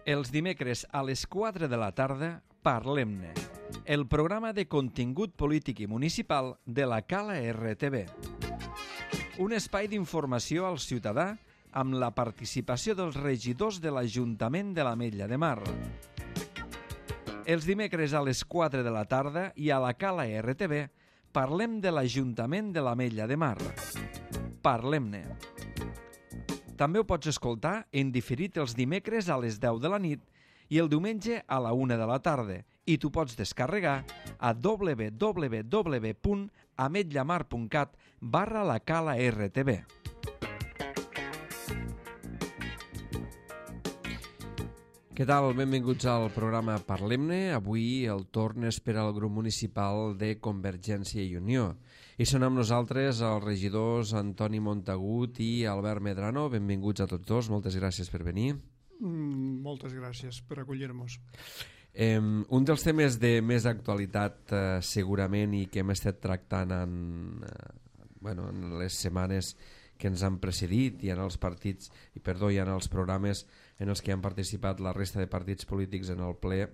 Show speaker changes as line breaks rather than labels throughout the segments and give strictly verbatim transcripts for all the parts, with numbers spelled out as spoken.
Els dimecres a les quatre de la tarda, Parlem-ne, el programa de contingut polític i municipal de la Cala R T V. Un espai d'informació al ciutadà amb la participació dels regidors de l'Ajuntament de l'Ametlla de Mar. Els dimecres a les quatre de la tarda i a la Cala R T V parlem de l'Ajuntament de l'Ametlla de Mar. Parlem-ne. També ho pots escoltar en diferit els dimecres a les deu de la nit i el diumenge a la una de la tarda i t'ho pots descarregar a w w w punt ametllamar punt cat barra la Cala R T V. Què tal? Benvinguts al programa Parlem-ne. Avui el torn és per al grup municipal de Convergència i Unió. I són amb nosaltres els regidors Antoni Montagut i Albert Medrano. Benvinguts a tots dos. Moltes gràcies per venir.
Mm, moltes gràcies per acollir-nos.
Eh, un dels temes de més actualitat eh, segurament i que hem estat tractant en, eh, bueno, en les setmanes que ens han precedit i en els partits i perdó i en els programes en els que han participat la resta de partits polítics en el ple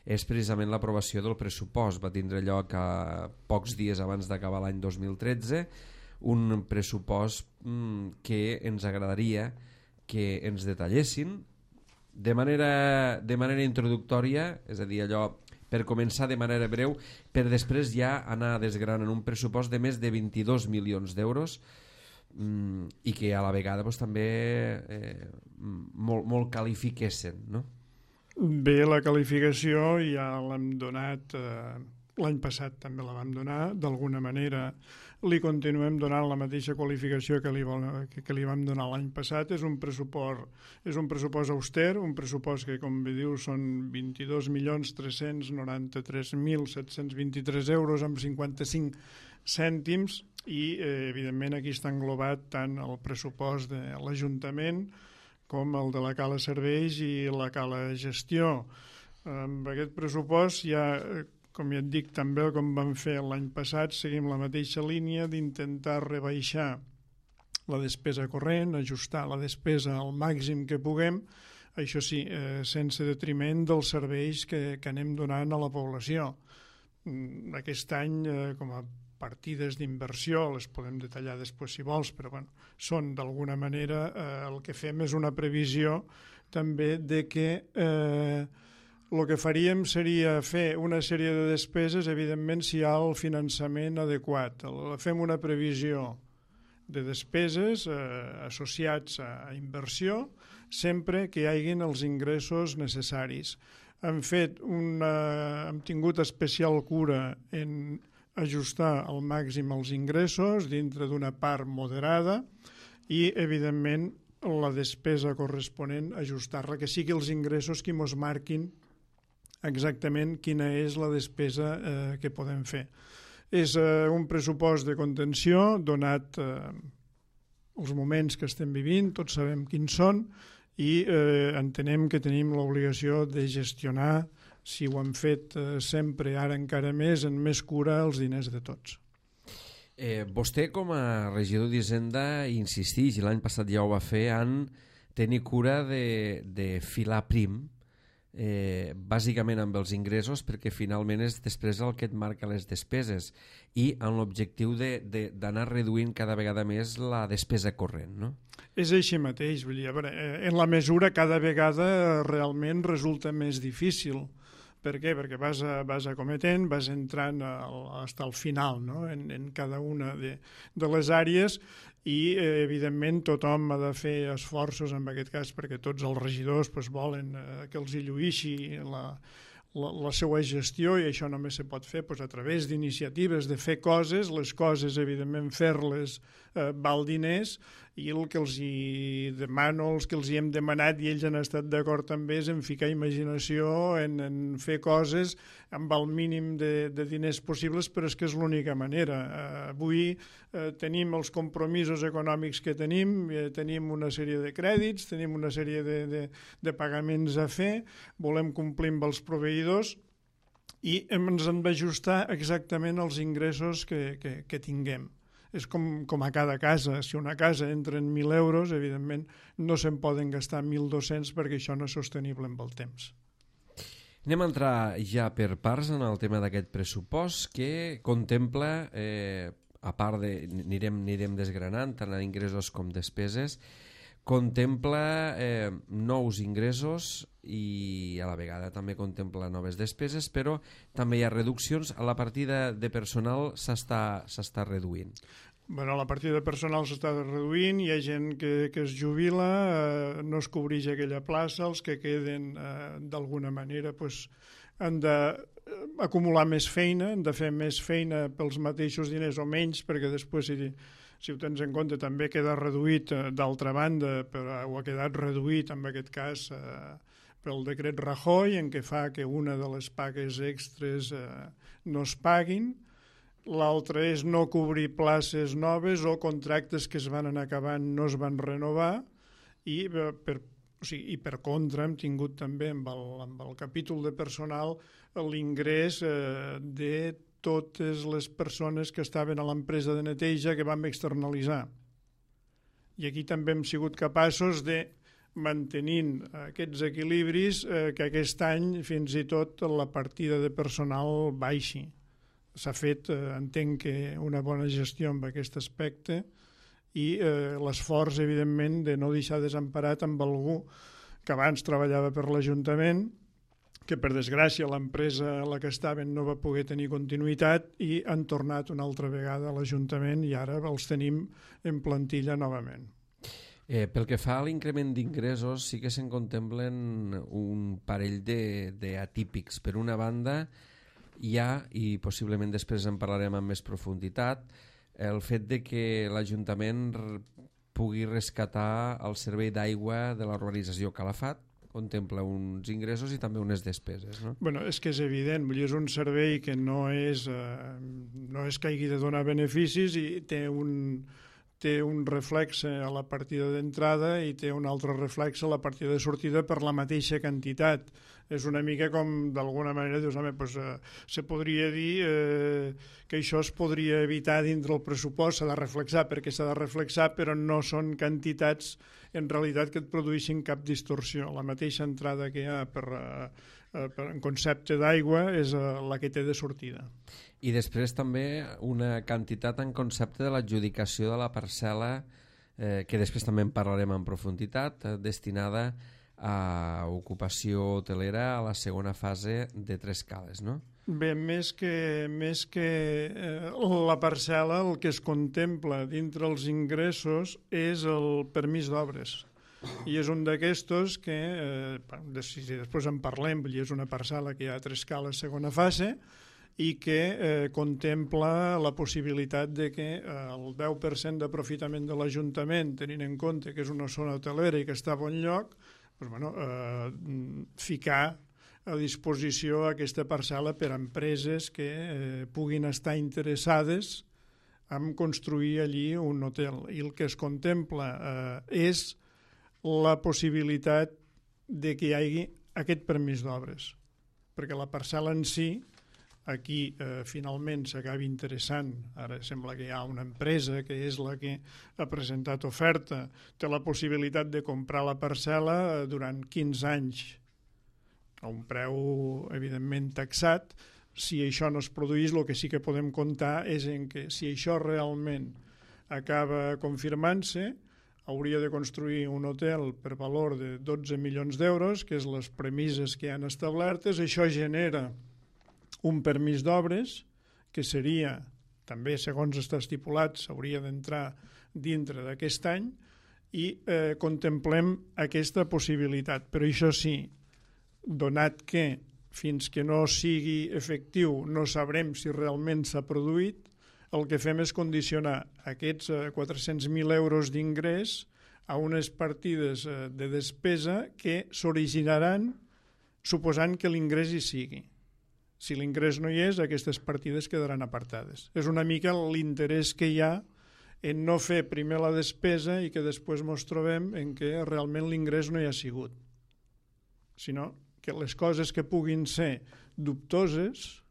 és precisament l'aprovació del pressupost. Va tindre lloc a pocs dies abans d'acabar l'any dos mil tretze, un pressupost mm, que ens agradaria que ens detallessin de manera, de manera introductòria, és a dir, allò per començar de manera breu, per després ja anar desgranant un pressupost de més de vint-i-dos milions d'euros mm, i que a la vegada doncs, també eh, molt, molt qualifiquessin, no?
Bé, la qualificació ja l'hem donat, eh, l'any passat també la vam donar, d'alguna manera li continuem donant la mateixa qualificació que li, que, que li vam donar l'any passat. És un pressupost, és un pressupost auster, un pressupost que, com bé diu, són vint-i-dos milions tres-cents noranta-tres mil set-cents vint-i-tres euros amb cinquanta-cinc cèntims i, eh, evidentment, aquí està englobat tant el pressupost de l'Ajuntament com el de la Cala Serveis i la Cala Gestió. Amb aquest pressupost ja, com ja et dic, també com vam fer l'any passat, seguim la mateixa línia d'intentar rebaixar la despesa corrent, ajustar la despesa al màxim que puguem, això sí, eh, sense detriment dels serveis que, que anem donant a la població. Aquest any, eh, com a partides d'inversió, les podem detallar després si vols, però bueno, són d'alguna manera, eh, el que fem és una previsió també de que eh, el que faríem seria fer una sèrie de despeses, evidentment, si hi ha el finançament adequat. Fem una previsió de despeses eh, associats a inversió sempre que hi hagin els ingressos necessaris. Hem fet una, hem tingut especial cura en ajustar al màxim els ingressos dintre d'una part moderada i, evidentment, la despesa corresponent ajustar-la, que sigui els ingressos qui mos marquin exactament quina és la despesa eh, que podem fer. És eh, un pressupost de contenció donat eh, els moments que estem vivint, tots sabem quins són i eh, entenem que tenim l'obligació de gestionar, si ho hem fet eh, sempre, ara encara més, en més cura els diners de tots.
Eh, vostè com a regidor d'Hisenda insisteix, i l'any passat ja ho va fer, en tenir cura de, de filar prim, Eh, bàsicament amb els ingressos, perquè finalment és després el que et marca les despeses i amb l'objectiu d'anar reduint cada vegada més la despesa corrent, no?
És així mateix, vull dir, a veure, en la mesura cada vegada realment resulta més difícil. Per què? Perquè vas, a, vas acometent, vas entrant al, fins al final, no? en, en cada una de, de les àrees i, eh, evidentment, tothom ha de fer esforços en aquest cas perquè tots els regidors pues, volen eh, que els hi lluïxi la, la, la seva gestió i això només se pot fer pues, a través d'iniciatives de fer coses, les coses, evidentment, fer-les eh, val diners i el que els hi demano, els que els hi hem demanat i ells han estat d'acord també és en ficar imaginació, en, en fer coses amb el mínim de, de diners possibles, però és que és l'única manera. Eh, avui eh, tenim els compromisos econòmics que tenim, eh, tenim una sèrie de crèdits, tenim una sèrie de, de, de pagaments a fer, volem complir amb els proveïdors i ens hem d'ajustar exactament als ingressos que, que, que tinguem. és com, com a cada casa. Si una casa entra en mil euros, evidentment no se'n poden gastar mil dos-cents perquè això no és sostenible amb el temps.
Anem a entrar ja per parts en el tema d'aquest pressupost que contempla, eh, a part de... anirem, anirem desgranant tant en ingressos com despeses, contempla eh, nous ingressos i a la vegada també contempla noves despeses, però també hi ha reduccions. A la partida de personal s'està s'està reduint.
Bueno, la partida de personal s'està reduint, hi ha gent que, que es jubila, eh, no es cobreix aquella plaça, els que queden eh, d'alguna manera pues, han d'acumular més feina, han de fer més feina pels mateixos diners o menys, perquè després si, si ho tens en compte també queda reduït eh, d'altra banda, però ho ha quedat reduït en aquest cas eh, pel decret Rajoy, en què fa que una de les pagues extres eh, no es paguin. L'altre és no cobrir places noves o contractes que es van anar acabant no es van renovar i per, o sigui, i per contra hem tingut també amb el, amb el capítol de personal l'ingrés eh, de totes les persones que estaven a l'empresa de neteja que vam externalitzar. I aquí també hem sigut capaços de, mantenint aquests equilibris, eh, que aquest any fins i tot la partida de personal baixi. S'ha fet, eh, entenc que una bona gestió amb aquest aspecte i eh, l'esforç, evidentment, de no deixar desemparat amb algú que abans treballava per l'Ajuntament, que per desgràcia l'empresa a la que estaven no va poder tenir continuïtat i han tornat una altra vegada a l'Ajuntament i ara els tenim en plantilla novament.
Eh, pel que fa a l'increment d'ingressos, sí que se'n contemplen un parell d'atípics. Per una banda, hi ha, i possiblement després en parlarem amb més profunditat, el fet de que l'Ajuntament pugui rescatar el servei d'aigua de la urbanització Calafat, contempla uns ingressos i també unes despeses, no?
Bueno, és que és evident, vull dir, és un servei que no és, eh, no és que hagi de donar beneficis i té un, té un reflexe a la partida d'entrada i té un altre reflexe a la partida de sortida per la mateixa quantitat. És una mica com, d'alguna manera, dius, home, doncs, eh, se podria dir eh, que això es podria evitar dintre el pressupost, s'ha de reflexar perquè s'ha de reflexar, però no són quantitats en realitat que et produeixin cap distorsió. La mateixa entrada que hi ha per, eh, per en concepte d'aigua és eh, la que té de sortida.
I després també una quantitat en concepte de l'adjudicació de la parcel·la, eh, que després també en parlarem en profunditat, eh, destinada a ocupació hotelera a la segona fase de Tres Cales, no?
Bé, més que, més que eh, la parcel·la, el que es contempla dintre els ingressos és el permís d'obres. I és un d'aquestos que, eh, si després en parlem, és una parcel·la que hi ha a Tres Cales segona fase i que eh, contempla la possibilitat de que eh, el deu per cent d'aprofitament de l'Ajuntament, tenint en compte que és una zona hotelera i que està a bon lloc, doncs, bueno, eh, ficar a disposició aquesta parcel·la per a empreses que eh, puguin estar interessades en construir allí un hotel. I el que es contempla eh, és la possibilitat de que hi hagi aquest permís d'obres, perquè la parcel·la en si aquí eh, finalment s'acabi interessant. Ara sembla que hi ha una empresa que és la que ha presentat oferta, té la possibilitat de comprar la parcel·la durant quinze anys a un preu evidentment taxat. Si això no es produís, el que sí que podem comptar és en que si això realment acaba confirmant-se, hauria de construir un hotel per valor de dotze milions d'euros, que és les premisses que han establertes. Això genera un permís d'obres que seria, també segons està estipulat, s'hauria d'entrar dintre d'aquest any i eh, contemplem aquesta possibilitat. Però això sí, donat que fins que no sigui efectiu no sabrem si realment s'ha produït, el que fem és condicionar aquests eh, quatre-cents mil euros d'ingrés a unes partides eh, de despesa que s'originaran suposant que l'ingrés hi sigui. Si l'ingrés no hi és, aquestes partides quedaran apartades. És una mica l'interès que hi ha en no fer primer la despesa i que després ens trobem en què realment l'ingrés no hi ha sigut. Sinó que les coses que puguin ser dubtoses,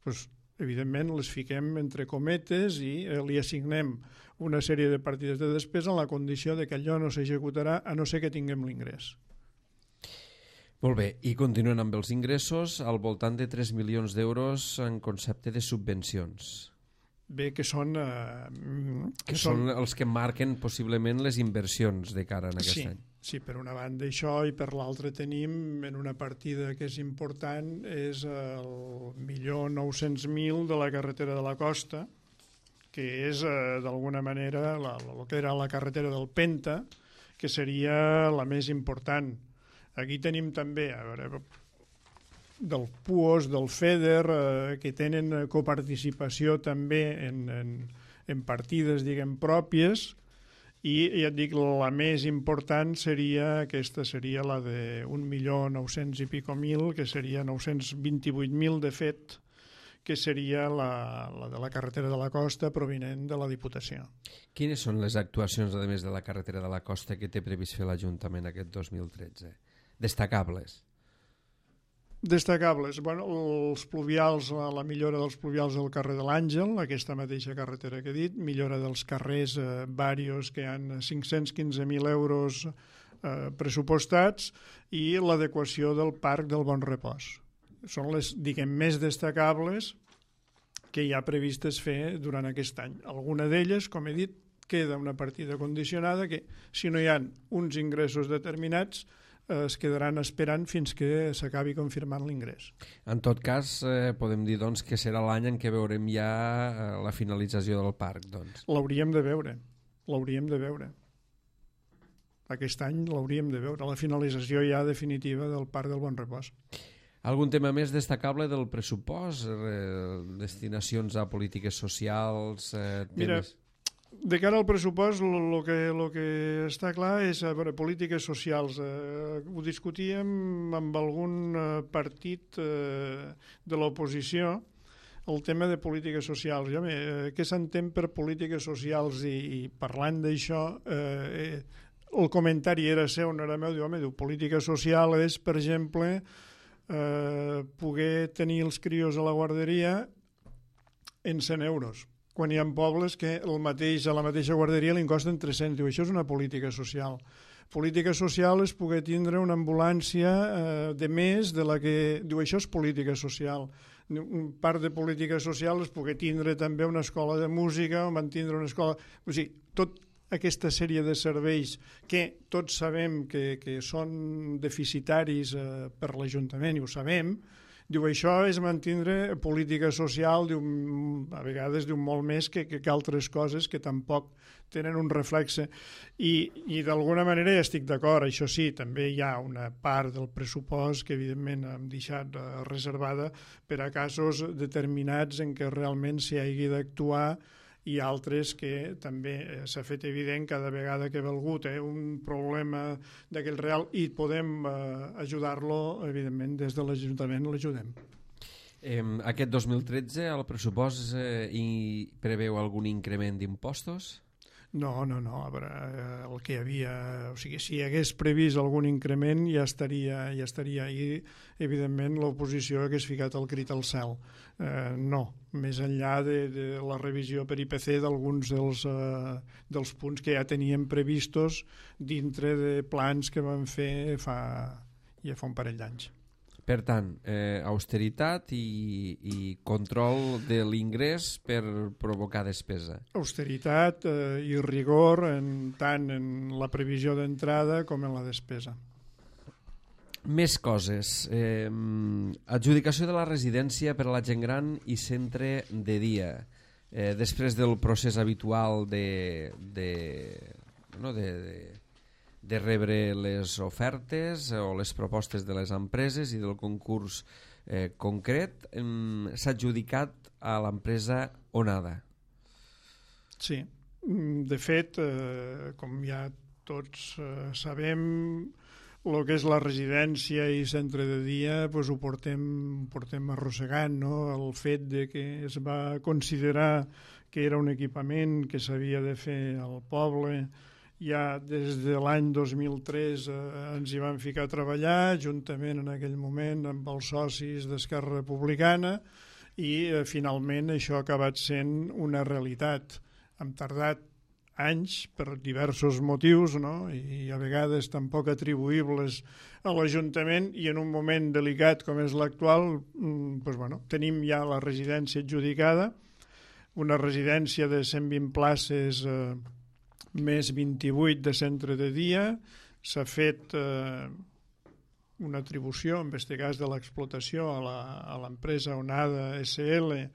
doncs evidentment les fiquem entre cometes i eh, li assignem una sèrie de partides de despesa en la condició de que allò no s'executarà a no ser que tinguem l'ingrés.
Molt bé, i continuen amb els ingressos al voltant de tres milions d'euros en concepte de subvencions.
Bé, que són... Eh,
que, que són, són els que marquen possiblement les inversions de cara en aquest
sí,
any.
Sí, per una banda això, i per l'altra tenim en una partida que és important, és el milió nou-cents mil de la carretera de la costa, que és eh, d'alguna manera la, el que era la carretera del Penta, que seria la més important. Aquí tenim també, a veure, del P U O S, del FEDER, eh, que tenen coparticipació també en, en, en partides, diguem, pròpies, i ja et dic, la més important seria, aquesta seria la de un milió nou-cents i pico mil, que seria nou-cents vint-i-vuit mil de fet, que seria la, la de la carretera de la costa provinent de la Diputació.
Quines són les actuacions, a més de la carretera de la costa, que té previst fer l'Ajuntament aquest dos mil tretze? Destacables.
Destacables. Bueno, els pluvials, la, la millora dels pluvials del carrer de l'Àngel, aquesta mateixa carretera que he dit, millora dels carrers eh, varios que han cinc-cents quinze mil euros eh, pressupostats, i l'adequació del parc del Bon Repòs. Són les, diguem, més destacables que hi ha previstes fer durant aquest any. Alguna d'elles, com he dit, queda una partida condicionada que, si no hi ha uns ingressos determinats, es quedaran esperant fins que s'acabi confirmant l'ingrés.
En tot cas, eh, podem dir doncs, que serà l'any en què veurem ja eh, la finalització del parc. Doncs.
L'hauríem de veure, l'hauríem de veure. Aquest any l'hauríem de veure, la finalització ja definitiva del Parc del Bon Repòs.
Algun tema més destacable del pressupost? Eh, destinacions a polítiques socials? Eh, temes...
Mira, de cara al pressupost, el que, lo que està clar és, a veure, polítiques socials. Eh, ho discutíem amb algun eh, partit eh, de l'oposició, el tema de polítiques socials. Jo, eh, què s'entén per polítiques socials? I, i parlant d'això, eh, el comentari era seu, no era meu, diu, home, diu, política social és, per exemple, eh, poder tenir els crios a la guarderia en cent euros. Quan hi ha pobles que el mateix, a la mateixa guarderia li costen tres-cents. Diu, això és una política social. Política social és poder tindre una ambulància eh, de més de la que... Diu, això és política social. Un part de política social és poder tindre també una escola de música o mantindre una escola... O sigui, tot aquesta sèrie de serveis que tots sabem que, que són deficitaris eh, per l'Ajuntament, i ho sabem. Diu, això és mantindre política social, diu, a vegades diu molt més que, que, que altres coses que tampoc tenen un reflexe. I, i d'alguna manera ja estic d'acord, això sí, també hi ha una part del pressupost que evidentment hem deixat eh, reservada per a casos determinats en què realment s'hi hagi d'actuar, i altres que també s'ha fet evident cada vegada que ve algú té un problema d'aquell real i podem eh, ajudar-lo, evidentment, des de l'Ajuntament l'ajudem.
Eh, aquest dos mil tretze el pressupost eh, hi preveu algun increment d'impostos?
No, no, no, a veure, el que hi havia, o sigui, si hi hagués previst algun increment ja estaria, ja estaria i evidentment l'oposició hagués ficat el crit al cel. Eh, no, més enllà de, de la revisió per I P C d'alguns dels, eh, dels punts que ja teníem previstos dintre de plans que vam fer fa, ja fa un parell d'anys.
Per tant, eh, austeritat i, i control de l'ingrés per provocar despesa.
Austeritat eh, i rigor en, tant en la previsió d'entrada com en la despesa.
Més coses. Eh, adjudicació de la residència per a la gent gran i centre de dia. Eh, després del procés habitual de... de, no, de, de de rebre les ofertes o les propostes de les empreses i del concurs eh, concret, eh, s'ha adjudicat a l'empresa Onada.
Sí, de fet, eh, com ja tots eh, sabem, el que és la residència i centre de dia pues, ho portem, portem arrossegant, no? El fet de que es va considerar que era un equipament que s'havia de fer al poble. Ja des de l'any dos mil tres eh, ens hi vam ficar a treballar, juntament en aquell moment amb els socis d'Esquerra Republicana, i eh, finalment això ha acabat sent una realitat. Hem tardat anys per diversos motius, no? I a vegades tampoc atribuïbles a l'Ajuntament, i en un moment delicat com és l'actual, doncs, bueno, tenim ja la residència adjudicada, una residència de cent vint places eh, més vint-i-vuit de centre de dia. S'ha fet eh, una atribució, en aquest cas de l'explotació, a l'empresa Onada S L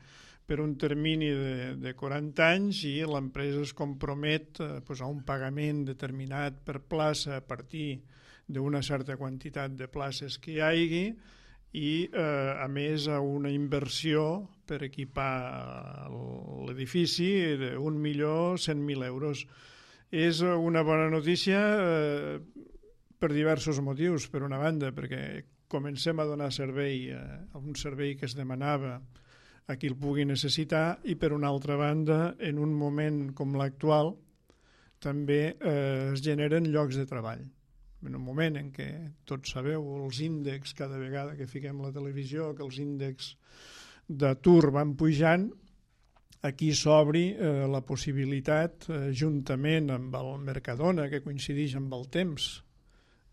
per un termini de, de quaranta anys, i l'empresa es compromet eh, pues a un pagament determinat per plaça a partir d'una certa quantitat de places que hi hagi, i eh, a més a una inversió per equipar l'edifici d'un milió cent mil euros. És una bona notícia eh, per diversos motius. Per una banda, perquè comencem a donar servei a un servei que es demanava a qui el pugui necessitar, i per una altra banda, en un moment com l'actual, també eh, es generen llocs de treball. En un moment en què, tots sabeu, els índexs, cada vegada que fiquem la televisió, que els índexs d'atur van pujant, aquí s'obri eh, la possibilitat, eh, juntament amb el Mercadona, que coincideix amb el temps,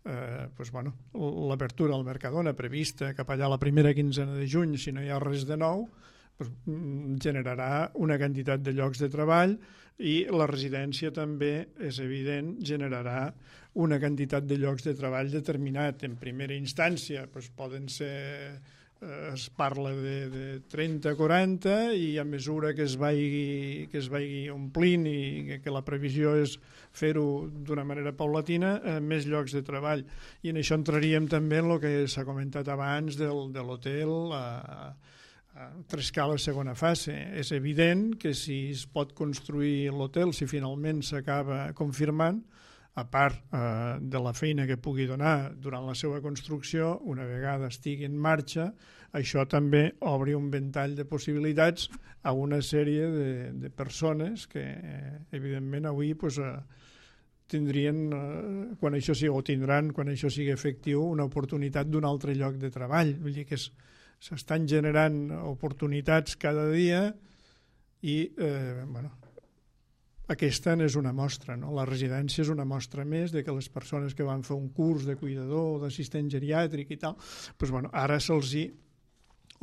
eh, pues, bueno, l'obertura al Mercadona prevista cap allà la primera quinzena de juny, si no hi ha res de nou, pues, generarà una quantitat de llocs de treball, i la residència també, és evident, generarà una quantitat de llocs de treball determinat. En primera instància pues, poden ser, eh, es parla de, de trenta a quaranta, i a mesura que es vagi, que es vagi omplint, i que, que la previsió és fer-ho d'una manera paulatina, eh, més llocs de treball. I en això entraríem també en el que s'ha comentat abans del, de l'hotel a, a Trescala segona fase. És evident que si es pot construir l'hotel, si finalment s'acaba confirmant, a part eh, de la feina que pugui donar durant la seva construcció, una vegada estigui en marxa, això també obri un ventall de possibilitats a una sèrie de, de persones que, eh, evidentment, avui pues, eh, tindrien, eh, quan això sigui, o tindran, quan això sigui efectiu, una oportunitat d'un altre lloc de treball. Vull dir que s'estan generant oportunitats cada dia, i, eh, bueno, aquesta és una mostra, no? La residència és una mostra més de que les persones que van fer un curs de cuidador o d'assistent geriàtric i tal, doncs, bueno, ara se'ls hi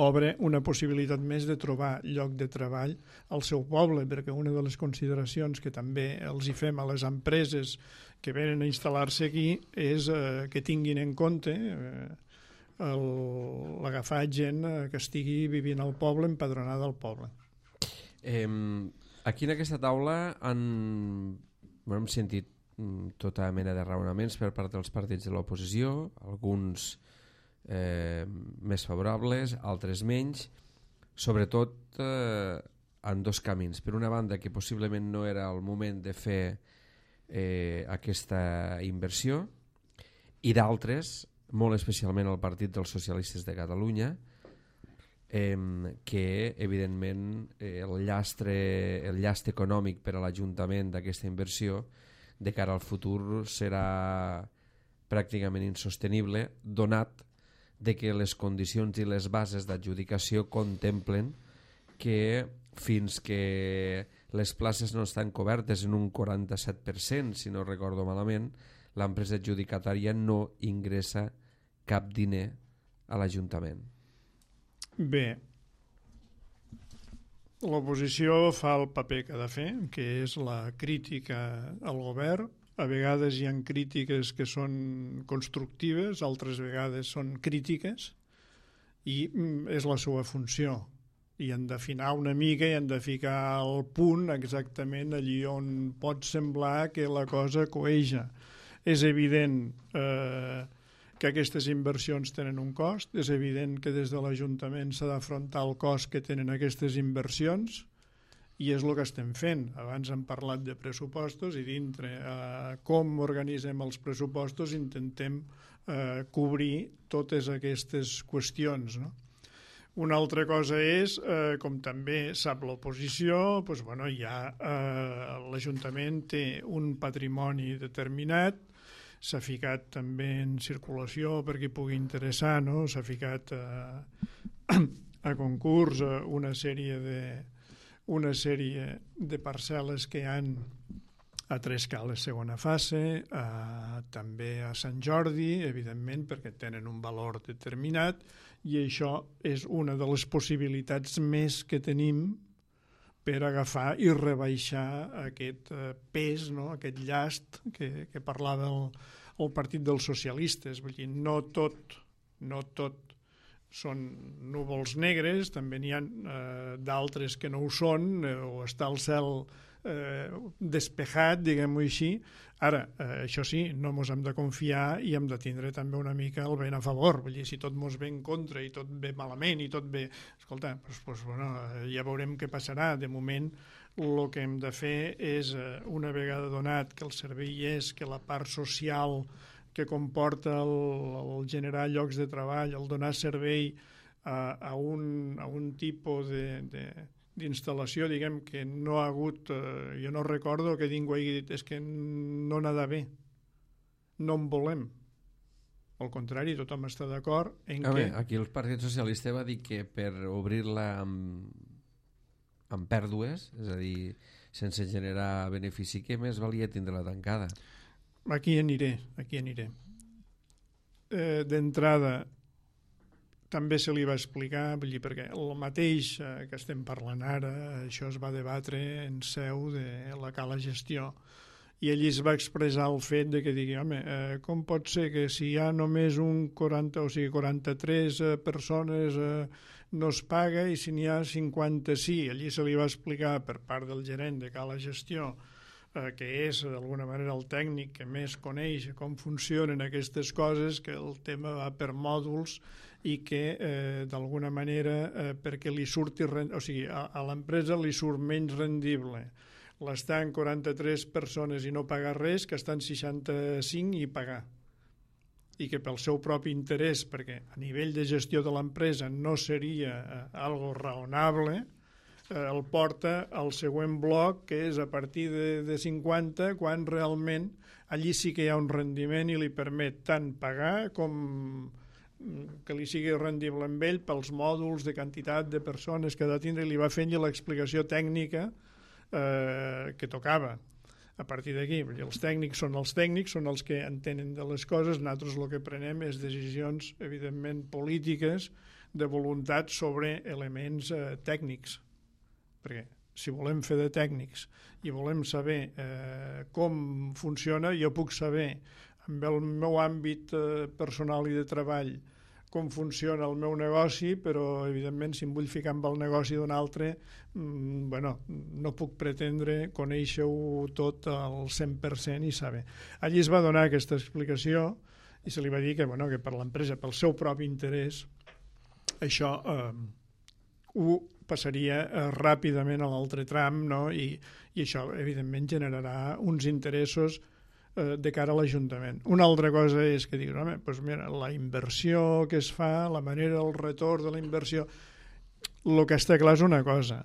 obre una possibilitat més de trobar lloc de treball al seu poble, perquè una de les consideracions que també els hi fem a les empreses que venen a instal·lar-se aquí és eh, que tinguin en compte eh, l'agafar gent que estigui vivint al poble, empadronada al poble.
Eh, aquí en aquesta taula han, bueno, hem sentit tota mena de raonaments per part dels partits de l'oposició, alguns eh, més favorables, altres menys, sobretot eh, en dos camins. Per una banda, que possiblement no era el moment de fer eh, aquesta inversió, i d'altres, molt especialment el Partit dels Socialistes de Catalunya, eh, que evidentment eh, el llastre, el llast econòmic per a l'Ajuntament d'aquesta inversió de cara al futur serà pràcticament insostenible, donat de que les condicions i les bases d'adjudicació contemplen que fins que les places no estan cobertes en un quaranta-set per cent, si no recordo malament, l'empresa adjudicatària no ingressa cap diner a l'Ajuntament.
Bé, l'oposició fa el paper que ha de fer, que és la crítica al govern. A vegades hi ha crítiques que són constructives, altres vegades són crítiques, i és la seva funció. I han d'afinar una mica i han de ficar al punt exactament allí on pot semblar que la cosa coeja. És evident eh, que aquestes inversions tenen un cost, és evident que des de l'Ajuntament s'ha d'afrontar el cost que tenen aquestes inversions, i és el que estem fent. Abans hem parlat de pressupostos i dintre eh, com organitzem els pressupostos intentem eh, cobrir totes aquestes qüestions, no? Una altra cosa és, eh, com també sap l'oposició, doncs, bueno, ja eh, l'Ajuntament té un patrimoni determinat, s'ha ficat també en circulació per qui pugui interessar, no? S'ha ficat eh, a concurs una sèrie de, una sèrie de parcel·les que hi han a Trescales segona fase, a, també a Sant Jordi, evidentment, perquè tenen un valor determinat, i això és una de les possibilitats més que tenim per agafar i rebaixar aquest eh, pes, no? Aquest llast que, que parlava el, el Partit dels Socialistes. Vull dir, no tot, no tot són núvols negres, també n'hi ha eh, d'altres que no ho són, eh, o està el cel eh, despejat, diguem-ho així. Ara, eh, això sí, no mos hem de confiar i hem de tindre també una mica el vent a favor. Vull dir, si tot mos ve en contra i tot ve malament i tot ve... Escolta, doncs, doncs, bueno, ja veurem què passarà. De moment, el que hem de fer és, eh, una vegada donat que el servei és, que la part social que comporta el, el generar llocs de treball, el donar servei a, a, un, a un tipus de, de, d'instal·lació, diguem, que no ha hagut, eh, jo no recordo que ningú hagi dit és que no n'ha d'haver, no en volem. Al contrari, tothom està d'acord en
a
que...
Bé, aquí el Partit Socialista va dir que per obrir-la amb, amb pèrdues, és a dir, sense generar benefici, que més valia tindre-la tancada.
Aquí aniré, aquí aniré. Eh, d'entrada, també se li va explicar, vull dir, perquè el mateix eh, que estem parlant ara, això es va debatre en seu de la Cala Gestió, i allí es va expressar el fet de que digui, home, eh, com pot ser que si hi ha només un quaranta, o sigui, quaranta-tres eh, persones eh, no es paga, i si n'hi ha cinquanta sí? Allí se li va explicar per part del gerent de Cala Gestió, eh, que és d'alguna manera el tècnic que més coneix com funcionen aquestes coses, que el tema va per mòduls i que eh, d'alguna manera eh, perquè li surti, o sigui, a, a l'empresa li surt menys rendible l'estar en quaranta-tres persones i no pagar res que estar en seixanta-cinc i pagar, i que pel seu propi interès, perquè a nivell de gestió de l'empresa no seria eh, algo raonable, eh, el porta al següent bloc, que és a partir de, de cinquanta, quan realment allí sí que hi ha un rendiment i li permet tant pagar com que li sigui rendible amb ell pels mòduls de quantitat de persones que ha de tindre, i li va fent l'explicació tècnica eh, que tocava. A partir d'aquí, els tècnics són els tècnics, són els que entenen de les coses, nosaltres el que prenem és decisions, evidentment, polítiques, de voluntat sobre elements eh, tècnics, perquè si volem fer de tècnics i volem saber eh, com funciona, jo puc saber amb el meu àmbit eh, personal i de treball com funciona el meu negoci, però evidentment si em vull ficar amb el negoci d'un altre, mmm, bueno, no puc pretendre conèixer-ho tot al cent per cent i saber. Allí es va donar aquesta explicació i se li va dir que, bueno, que per l'empresa, pel seu propi interès, això eh, ho passaria eh, ràpidament a l'altre tram, no? I, i això evidentment generarà uns interessos de cara a l'Ajuntament. Una altra cosa és que diguis, home, doncs mira, la inversió que es fa, la manera del retorn de la inversió, el que està clar és una cosa.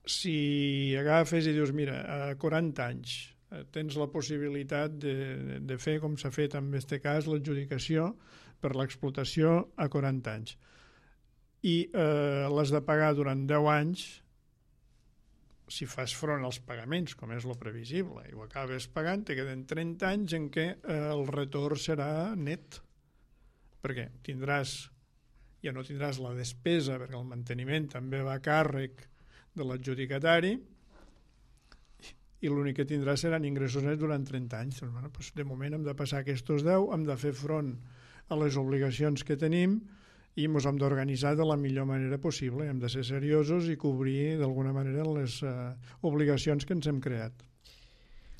Si agafes i dius, mira, a quaranta anys tens la possibilitat de, de fer, com s'ha fet en aquest cas, l'adjudicació per l'explotació a quaranta anys, i eh, l'has de pagar durant deu anys, si fas front als pagaments, com és lo previsible, i ho acabes pagant, te queden trenta anys en què eh, el retorn serà net, perquè tindràs, ja no tindràs la despesa, perquè el manteniment també va a càrrec de l'adjudicatari, i l'únic que tindràs seran ingressos nets durant trenta anys. Doncs, bueno, doncs de moment hem de passar aquests deu, hem de fer front a les obligacions que tenim, i ens hem d'organitzar de la millor manera possible, hem de ser seriosos i cobrir d'alguna manera les eh, obligacions que ens hem creat.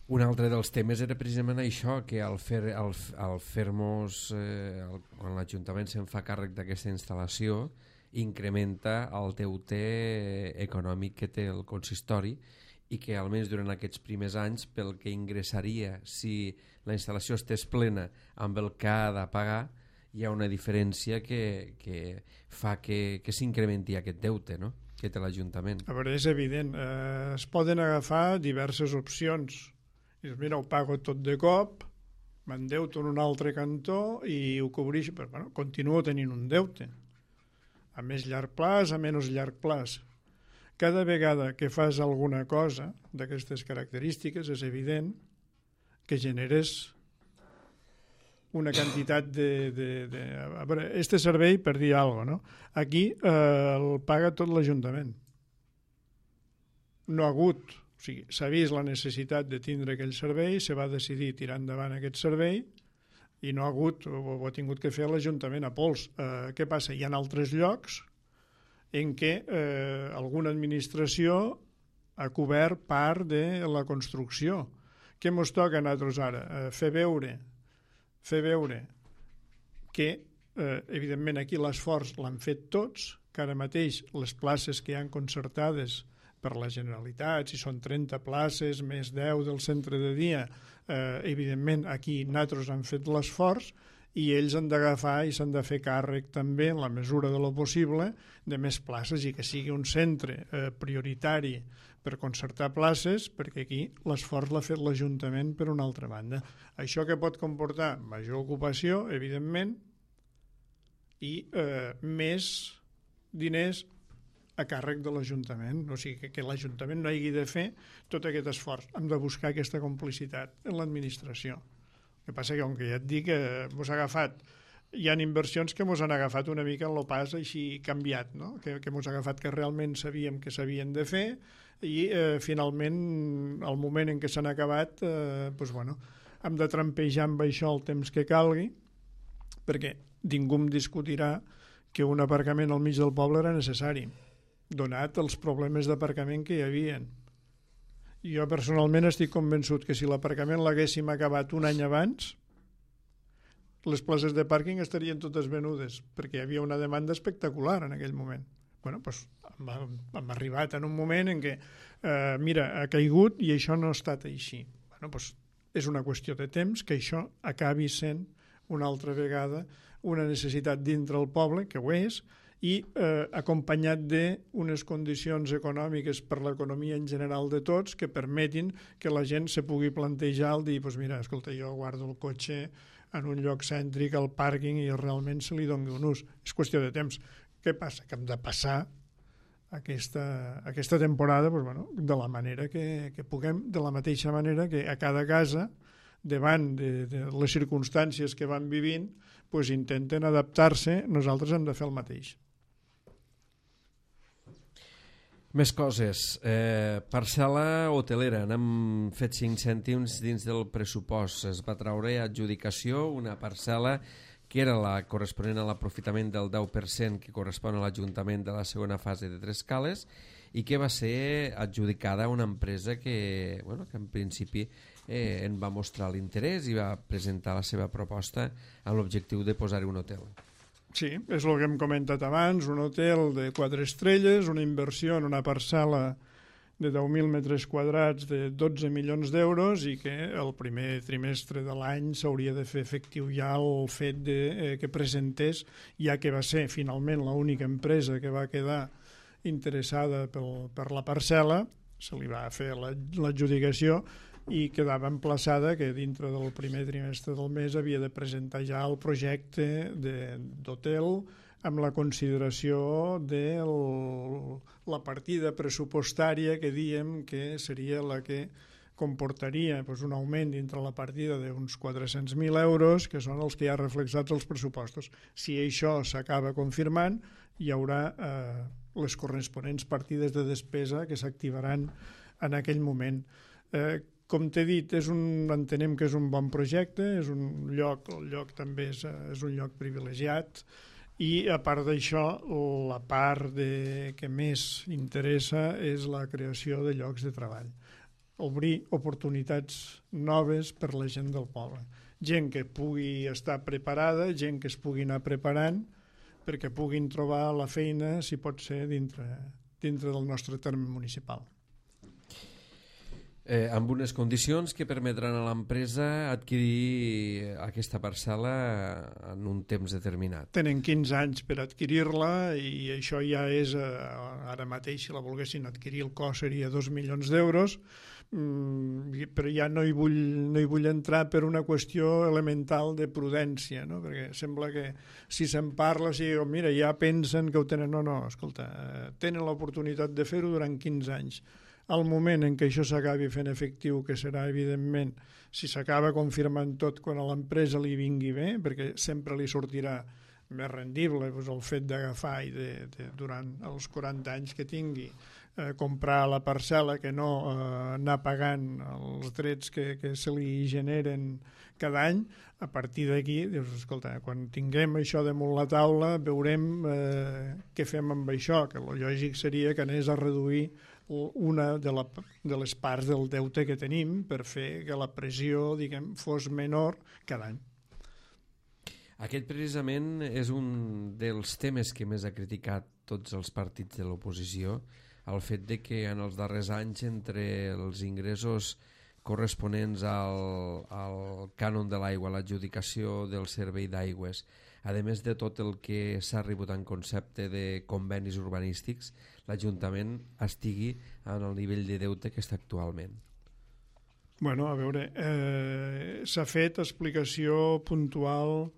Un altre dels temes era precisament això, que al fer, al, al fer-nos, eh, el, quan l'Ajuntament se'n fa càrrec d'aquesta instal·lació, incrementa el deute econòmic que té el consistori, i que almenys durant aquests primers anys, pel que ingressaria si la instal·lació estés plena amb el que ha de pagar, hi ha una diferència que, que fa que, que s'incrementi aquest deute, no?, que té l'Ajuntament. A
veure, és evident. Eh, es poden agafar diverses opcions. Dius, mira, ho pago tot de cop, m'endeuto en un altre cantó i ho cobreixo, però bueno, continuo tenint un deute. a més llarg plaç, a menys llarg plaç. Cada vegada que fas alguna cosa d'aquestes característiques és evident que generes una quantitat de... de, de a veure, este servei, per dir alguna cosa, no? Aquí eh, el paga tot l'Ajuntament. No ha hagut, o sigui, s'ha vist la necessitat de tindre aquell servei, se va decidir tirar endavant aquest servei i no ha hagut, ho, ho ha tingut que fer l'Ajuntament a pols. Eh, què passa? Hi ha altres llocs en què eh, alguna administració ha cobert part de la construcció. Què mos toca a nosaltres ara? Eh, fer veure, fer veure que, eh, evidentment, aquí l'esforç l'han fet tots, que ara mateix les places que hi han concertades per la Generalitat, si són trenta places, més deu del centre de dia, eh, evidentment, aquí nosaltres han fet l'esforç, i ells han d'agafar i s'han de fer càrrec també, en la mesura de lo possible, de més places i que sigui un centre eh, prioritari per concertar places, perquè aquí l'esforç l'ha fet l'Ajuntament per una altra banda. Això que pot comportar major ocupació, evidentment, i eh, més diners a càrrec de l'Ajuntament. O sigui, que, que l'Ajuntament no hagi de fer tot aquest esforç. Hem de buscar aquesta complicitat en l'administració. El que passa que, com que ja et dic, eh, mos ha agafat, hi ha inversions que mos han agafat una mica en lo pas així canviat, no? que, que mos ha agafat que realment sabíem que s'havien de fer i eh, finalment, al moment en què s'han acabat, eh, doncs, bueno, hem de trampejar amb això el temps que calgui, perquè ningú em discutirà que un aparcament al mig del poble era necessari, donat els problemes d'aparcament que hi havien. Jo personalment estic convençut que si l'aparcament l'haguéssim acabat un any abans, les places de pàrquing estarien totes venudes, perquè hi havia una demanda espectacular en aquell moment. Bueno, doncs hem, hem arribat en un moment en què, eh, mira, ha caigut i això no ha estat així. Bueno, doncs és una qüestió de temps que això acabi sent una altra vegada una necessitat dintre el poble, que ho és, i eh, acompanyat d'unes condicions econòmiques per l'economia en general de tots que permetin que la gent se pugui plantejar el dir, doncs mira, escolta, jo guardo el cotxe en un lloc cèntric, al pàrquing, i realment se li doni un ús. És qüestió de temps. Què passa? Que hem de passar aquesta, aquesta temporada doncs, bueno, de la manera que, que puguem, de la mateixa manera que a cada casa, davant de, de les circumstàncies que van vivint, doncs intenten adaptar-se, nosaltres hem de fer el mateix.
Més coses. Eh, parcel·la hotelera. N'hem fet cinc cèntims dins del pressupost. Es va traure a adjudicació una parcel·la que era la corresponent a l'aprofitament del deu per cent que correspon a l'Ajuntament de la segona fase de Tres Cales i que va ser adjudicada a una empresa que, bueno, que en principi eh, en va mostrar l'interès i va presentar la seva proposta amb l'objectiu de posar-hi un hotel.
Sí, és el que hem comentat abans, un hotel de quatre estrelles, una inversió en una parcel·la de deu mil metres quadrats de dotze milions d'euros i que el primer trimestre de l'any s'hauria de fer efectiu ja el fet de, eh, que presentés, ja que va ser finalment l'única empresa que va quedar interessada pel, per la parcel·la, se li va fer l'adjudicació i quedava emplaçada que dintre del primer trimestre del mes havia de presentar ja el projecte d'hotel amb la consideració de el, la partida pressupostària que diem que seria la que comportaria doncs, un augment dintre la partida d'uns quatre-cents mil euros, que són els que hi ha reflexats als pressupostos. Si això s'acaba confirmant, hi haurà eh, les corresponents partides de despesa que s'activaran en aquell moment. Eh, Com t'he dit, és un, entenem que és un bon projecte, és un lloc, el lloc també és, és un lloc privilegiat i a part d'això la part de, que més interessa és la creació de llocs de treball. Obrir oportunitats noves per la gent del poble. Gent que pugui estar preparada, gent que es pugui anar preparant perquè puguin trobar la feina, si pot ser, dintre, dintre del nostre terme municipal.
Eh, amb unes condicions que permetran a l'empresa adquirir aquesta parcel·la en un temps determinat.
Tenen quinze anys per adquirir-la i això ja és, eh, ara mateix, si la volguessin adquirir, el cost seria dos milions d'euros, mm, però ja no hi, vull, no hi vull entrar per una qüestió elemental de prudència, no? Perquè sembla que si se'n parla, si mira, ja pensen que ho tenen. No, no, escolta, eh, tenen l'oportunitat de fer-ho durant quinze anys. Al moment en què això s'acabi fent efectiu, que serà, evidentment, si s'acaba confirmant tot quan a l'empresa li vingui bé, perquè sempre li sortirà més rendible doncs, el fet d'agafar i de, de, durant els quaranta anys que tingui eh, comprar la parcel·la, que no eh, anar pagant els drets que, que se li generen cada any. A partir d'aquí, dius, escolta, quan tinguem això damunt la taula veurem eh, què fem amb això, que el lògic seria que anés a reduir una de, la, de les parts del deute que tenim per fer que la pressió, diguem, fos menor cada any.
Aquest precisament és un dels temes que més ha criticat tots els partits de l'oposició, el fet de que en els darrers anys, entre els ingressos corresponents al, al cànon de l'aigua, l'adjudicació del servei d'aigües, a més de tot el que s'ha rebut en concepte de convenis urbanístics, l'Ajuntament estigui en el nivell de deute que està actualment.
Bueno, a veure, eh, s'ha fet explicació puntual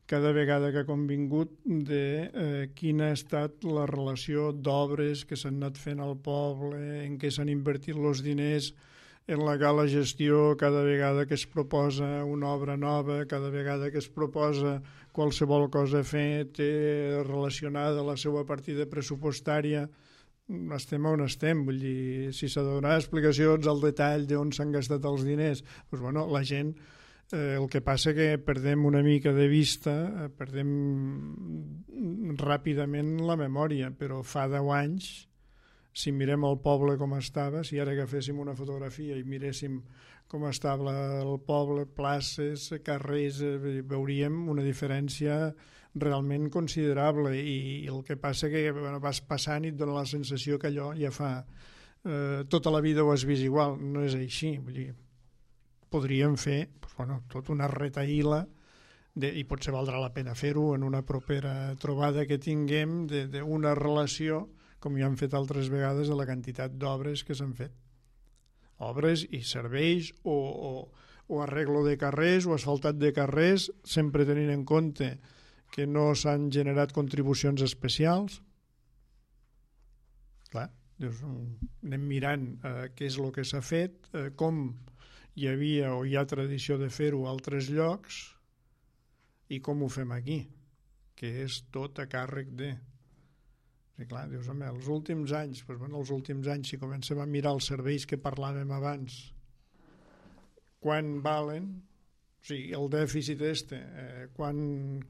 cada vegada que ha convingut de eh, quina ha estat la relació d'obres que s'han anat fent al poble, en què s'han invertit els diners, en la gala gestió, cada vegada que es proposa una obra nova, cada vegada que es proposa qualsevol cosa a fer, té relacionada la seva partida pressupostària, estem on estem, vull dir, si s'ha de donar explicacions al detall d'on s'han gastat els diners, doncs bueno, la gent, eh, el que passa que perdem una mica de vista, eh, perdem ràpidament la memòria, però fa deu anys, si mirem el poble com estava, si ara agaféssim una fotografia i miréssim com estava el poble, places, carrers, veuríem una diferència realment considerable i el que passa que bueno, vas passant i et dona la sensació que allò ja fa eh, tota la vida ho has vist igual, no és així, vull dir, podríem fer doncs, bueno, tot una retaïla de, i potser valdrà la pena fer-ho en una propera trobada que tinguem d'una relació com ja han fet altres vegades, de la quantitat d'obres que s'han fet. Obres i serveis o, o, o arreglo de carrers o asfaltat de carrers, sempre tenint en compte que no s'han generat contribucions especials. Clar, dius, anem mirant eh, què és el que s'ha fet, eh, com hi havia o hi ha tradició de fer-ho a altres llocs i com ho fem aquí, que és tot a càrrec de... I clar, dius, home, els últims anys, doncs, bueno, els últims anys, si comencem a mirar els serveis que parlàvem abans, quan valen, o sigui, el dèficit este, eh, quan,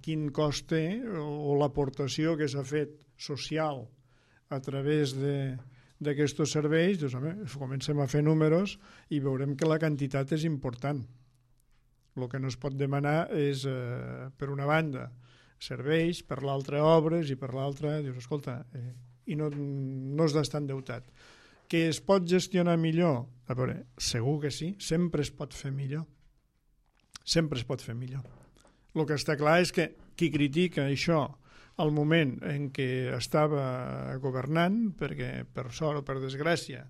quin cost té, o, o l'aportació que s'ha fet social a través d'aquests serveis, doncs, home, comencem a fer números i veurem que la quantitat és important. El que no es pot demanar és, eh, per una banda, serveis, per l'altra obres i per l'altra, dius, escolta, eh, i no, no has d'estar endeutat. Que es pot gestionar millor? A veure, segur que sí, sempre es pot fer millor. Sempre es pot fer millor. El que està clar és que qui critica això al moment en què estava governant, perquè per sort o per desgràcia,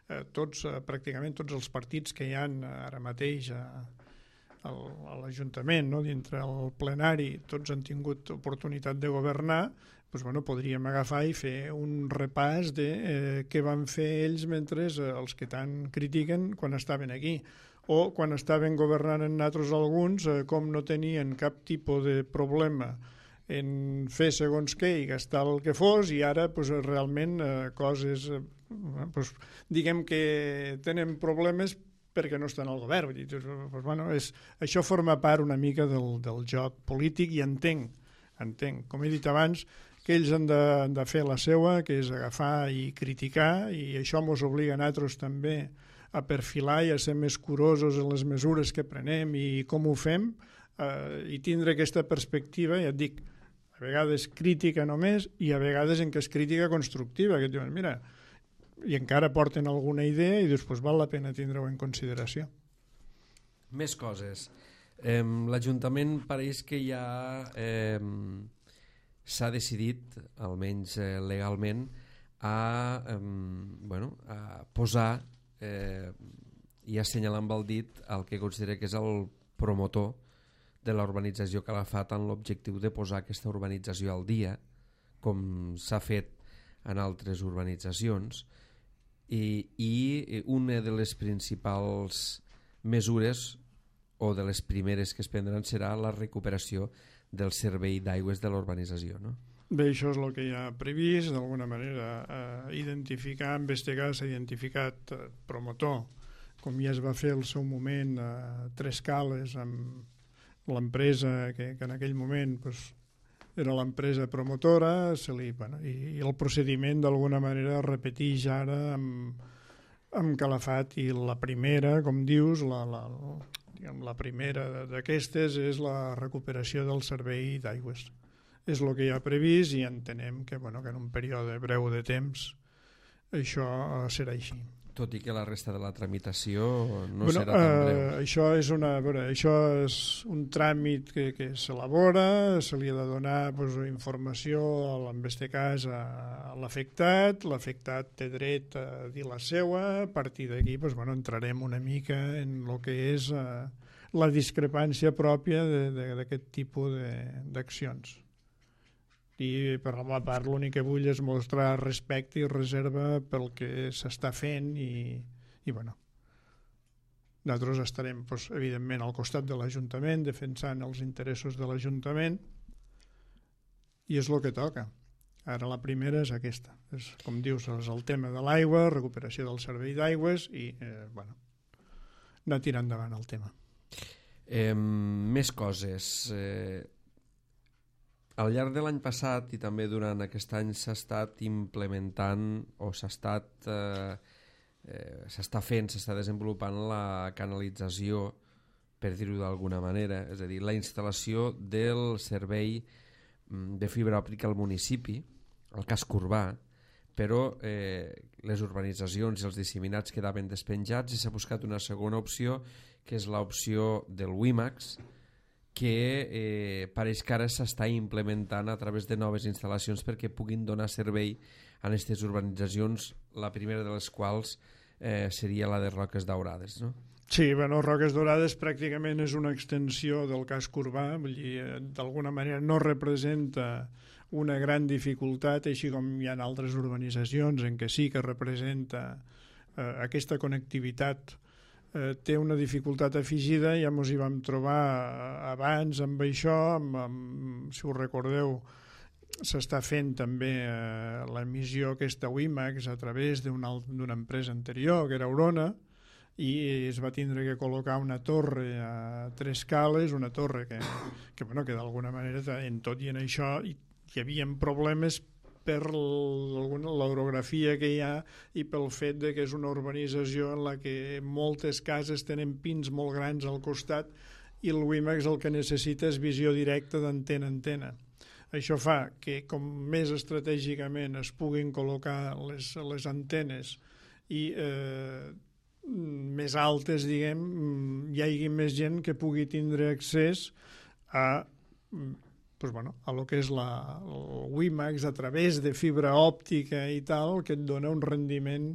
eh, tots, eh, pràcticament tots els partits que hi ha ara mateix a a l'Ajuntament, no? Dintre el plenari, tots han tingut oportunitat de governar, doncs, bueno, podríem agafar i fer un repàs de eh, què van fer ells mentre eh, els que tant critiquen quan estaven aquí. O quan estaven governant en nosaltres alguns, eh, com no tenien cap tipus de problema en fer segons què i gastar el que fos, i ara pues, realment eh, coses, eh, pues, diguem que tenen problemes perquè no estan al govern. Vull dir, doncs, bueno, és, això forma part una mica del, del joc polític i entenc, entenc, com he dit abans, que ells han de, han de fer la seua, que és agafar i criticar, i això ens obliga a nosaltres també a perfilar i a ser més curosos en les mesures que prenem i com ho fem, eh, i tindre aquesta perspectiva, ja et dic, a vegades crítica només i a vegades en què és crítica constructiva, que et diuen, mira, i encara porten alguna idea i després val la pena tindre-ho en consideració.
Més coses. Eh, L'Ajuntament pareix que ja eh, s'ha decidit, almenys eh, legalment, a, eh, bueno, a posar eh, i assenyalar amb el dit el que considera que és el promotor de la urbanització Calafat amb l'objectiu de posar aquesta urbanització al dia, com s'ha fet en altres urbanitzacions, i, i una de les principals mesures o de les primeres que es prendran serà la recuperació del servei d'aigües de la urbanització, no?
Bé, això és el que hi ha previst, d'alguna manera eh, identificar, en este cas s'ha identificat eh, promotor, com ja es va fer al seu moment a eh, Tres Cales amb l'empresa que, que en aquell moment pues, era l'empresa promotora, se li, bueno, i, i el procediment d'alguna manera es repeteix ara amb, amb Calafat, i la primera, com dius, la, la, diguem, la primera d'aquestes és la recuperació del servei d'aigües. És el que hi ha previst i entenem que, bueno, que en un període breu de temps això serà així.
Tot i que la resta de la tramitació no
bueno,
serà tan breu.
Eh, això, és una, veure, això és un tràmit que, que s'elabora, se li ha de donar pues, informació, en aquest cas, a, a l'afectat, l'afectat té dret a dir la seua, a partir d'aquí pues, bueno, entrarem una mica en el que és eh, la discrepància pròpia d'aquest tipus d'accions. I per la meva part l'únic que vull és mostrar respecte i reserva pel que s'està fent i, i bueno, nosaltres estarem doncs, evidentment al costat de l'Ajuntament defensant els interessos de l'Ajuntament i és el que toca. Ara la primera és aquesta, és, com dius, és el tema de l'aigua, recuperació del servei d'aigües i eh, bueno, anar tirant endavant el tema.
Eh, més coses. Eh, al llarg de l'any passat i també durant aquest any s'ha estat implementant o s'ha estat eh, eh, s'està fent, s'està desenvolupant la canalització, per dir-ho d'alguna manera, és a dir, la instal·lació del servei de fibra òptica al municipi, al casc urbà, però eh, les urbanitzacions i els disseminats quedaven despenjats i s'ha buscat una segona opció, que és l'opció del WiMAX, que eh, pareix que ara s'està implementant a través de noves instal·lacions perquè puguin donar servei a aquestes urbanitzacions, la primera de les quals eh, seria la de Roques Daurades, no?
Sí, bueno, Roques Daurades pràcticament és una extensió del casc urbà, vull dir, d'alguna manera no representa una gran dificultat, així com hi ha altres urbanitzacions en què sí que representa eh, aquesta connectivitat. Eh, té una dificultat afegida, ja ens hi vam trobar abans amb això, amb, amb, si us recordeu, s'està fent també eh, l'emissió aquesta WiMAX a través d'una empresa anterior, que era Aurona, i es va tindre que col·locar una torre a Tres Cales, una torre que, que, bueno, que d'alguna manera en tot i en això hi, hi havia problemes per l'orografia que hi ha i pel fet de que és una urbanització en la que moltes cases tenen pins molt grans al costat i el WiMAX el que necessita és visió directa d'antena a antena. Això fa que com més estratègicament es puguin col·locar les, les antenes i eh, més altes, diguem, hi hagi més gent que pugui tindre accés a pues bueno, a lo que és la, el WiMAX a través de fibra òptica i tal, que et dona un rendiment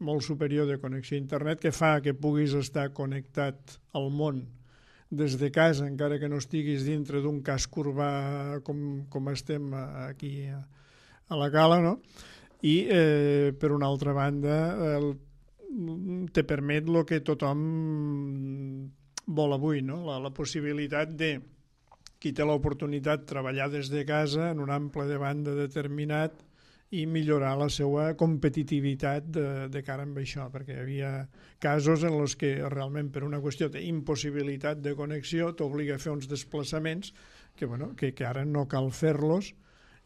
molt superior de connexió a internet que fa que puguis estar connectat al món des de casa, encara que no estiguis dintre d'un casc urbà com, com estem aquí a, a la Cala, no? I eh, per una altra banda el, te permet el que tothom vol avui, no? La, la possibilitat de qui té l'oportunitat de treballar des de casa en un ample de banda determinat i millorar la seva competitivitat de, de cara amb això, perquè hi havia casos en els que realment per una qüestió d'impossibilitat de connexió t'obliga a fer uns desplaçaments que, bueno, que, que ara no cal fer-los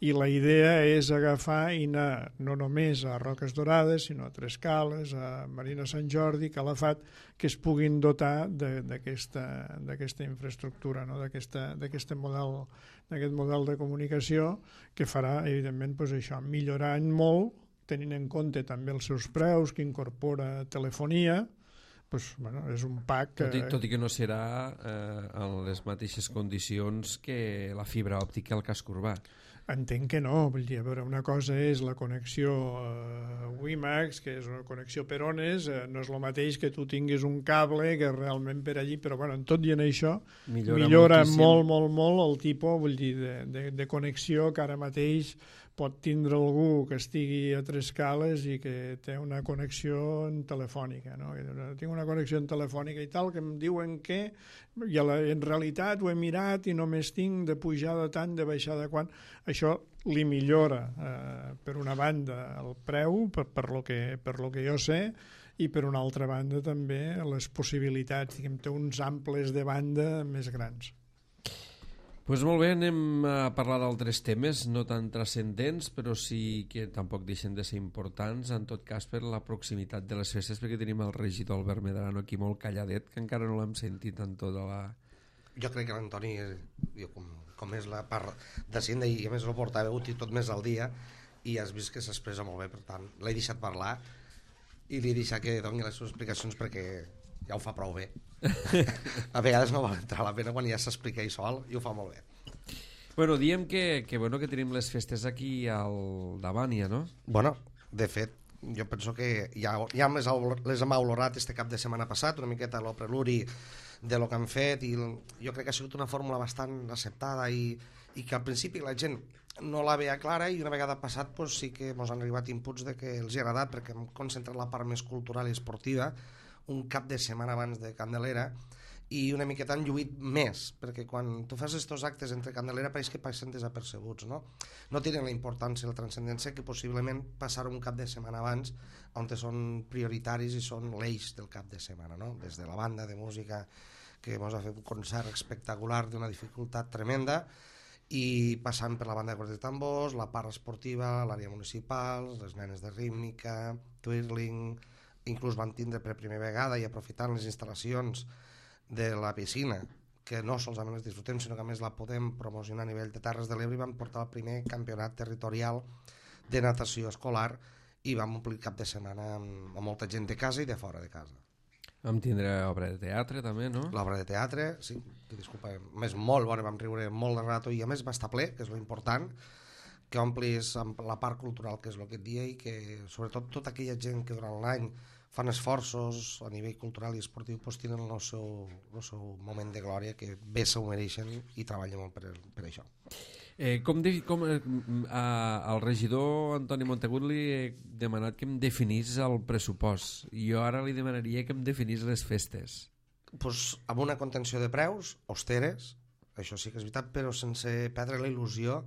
i la idea és agafar i anar no només a Roques Daurades, sinó a Tres Cales, a Marina Sant Jordi, Calafat, que es puguin dotar d'aquesta infraestructura, no? d'aquest model, model de comunicació que farà, evidentment, pues això, millorant molt tenint en compte també els seus preus, que incorpora telefonia, pues, bueno, és un pack... Que...
Tot, i, tot i que no serà eh, en les mateixes condicions que la fibra òptica al casc urbà.
Entenc que no, vull dir, a veure, una cosa és la connexió eh, WiMAX, que és una connexió per ones, eh, no és el mateix que tu tinguis un cable que realment per allí, però bueno, en tot i en això
millora,
millora molt, molt, molt el tipus, vull dir, de, de, de connexió que ara mateix pot tindre algú que estigui a tres cales i que té una connexió en telefònica, no? Tinc una connexió en telefònica i tal, que em diuen que i la, en realitat ho he mirat i només tinc de pujar de tant, de baixar de quan. Això li millora, eh, per una banda, el preu, per, per, lo que, per lo que jo sé, i per una altra banda també les possibilitats, diguem, té uns amples de banda més grans.
Pues molt bé, anem a parlar d'altres temes, no tan transcendents, però sí que tampoc deixen de ser importants, en tot cas per la proximitat de les festes, perquè tenim el regidor Albert Medrano aquí molt calladet, que encara no l'hem sentit en tota la...
Jo crec que l'Antoni, com, com és la part de Cinda, i a més el portaveu i tot més al dia, i has vist que s'expressa molt bé, per tant, l'he deixat parlar i li he deixat que doni les seves explicacions perquè ja ho fa prou bé. A vegades no val entrar a la pena quan ja s'explica ell sol i ho fa molt bé.
Bueno, diem que, que, bueno, que tenim les festes aquí al davant ja, no?
Bueno, de fet, jo penso que ja, ja les, les hem olorat este cap de setmana passat, una miqueta el preludi de lo que han fet, i jo crec que ha sigut una fórmula bastant acceptada i, i que al principi la gent no la veia clara, i una vegada passat pues, sí que ens han arribat inputs de que els hi ha agradat, perquè hem concentrat la part més cultural i esportiva un cap de setmana abans de Candelera, i una miqueta han lluït més, perquè quan tu fas estos actes entre Candelera pareix que passen desapercebuts, no? No tenen la importància i la transcendència que possiblement passar un cap de setmana abans, on són prioritaris i són l'eix del cap de setmana, no? Des de la banda de música, que ens ha fet un concert espectacular d'una dificultat tremenda, i passant per la banda de cordes de tambors, la part esportiva, l'àrea municipal, les nenes de rítmica, twirling, inclús van tindre per primera vegada i aprofitant les instal·lacions de la piscina, que no solament les disfrutem, sinó que a més la podem promocionar a nivell de Terres de l'Ebre, i vam portar el primer campionat territorial de natació escolar i vam omplir cap de setmana amb, amb molta gent de casa i de fora de casa.
Vam tindre obra de teatre també, no?
L'obra de teatre, sí, disculpa, més molt bona, vam riure molt de rato i a més va estar ple, que és lo important, que omplis amb la part cultural, que és el que et dia, i que sobretot tota aquella gent que durant l'any fan esforços a nivell cultural i esportiu, doncs tenen el seu, el seu moment de glòria, que bé s'ho mereixen i treballen molt per, per això.
Eh, com de, com, eh, a, al regidor Antoni Montagut li he demanat que em definís el pressupost, i jo ara li demanaria que em definís les festes.
Pues, amb una contenció de preus austeres, això sí que és veritat, però sense perdre la il·lusió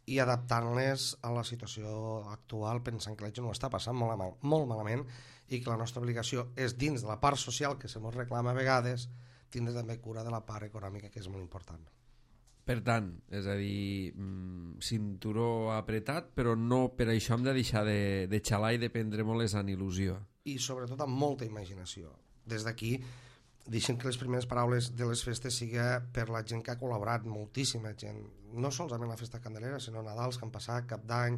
i adaptant-les a la situació actual, pensant que la gent ho està passant molt, mal, molt malament, i que la nostra obligació és, dins de la part social que se mos reclama a vegades, tindre també cura de la part econòmica, que és molt important.
Per tant, és a dir, cinturó apretat, però no per això hem de deixar de, de xalar i de prendre molt les en il·lusió.
I sobretot amb molta imaginació. Des d'aquí, deixem que les primeres paraules de les festes siga per la gent que ha col·laborat, moltíssima gent, no solament la festa Candelera, sinó Nadals, que han passat, Cap d'Any,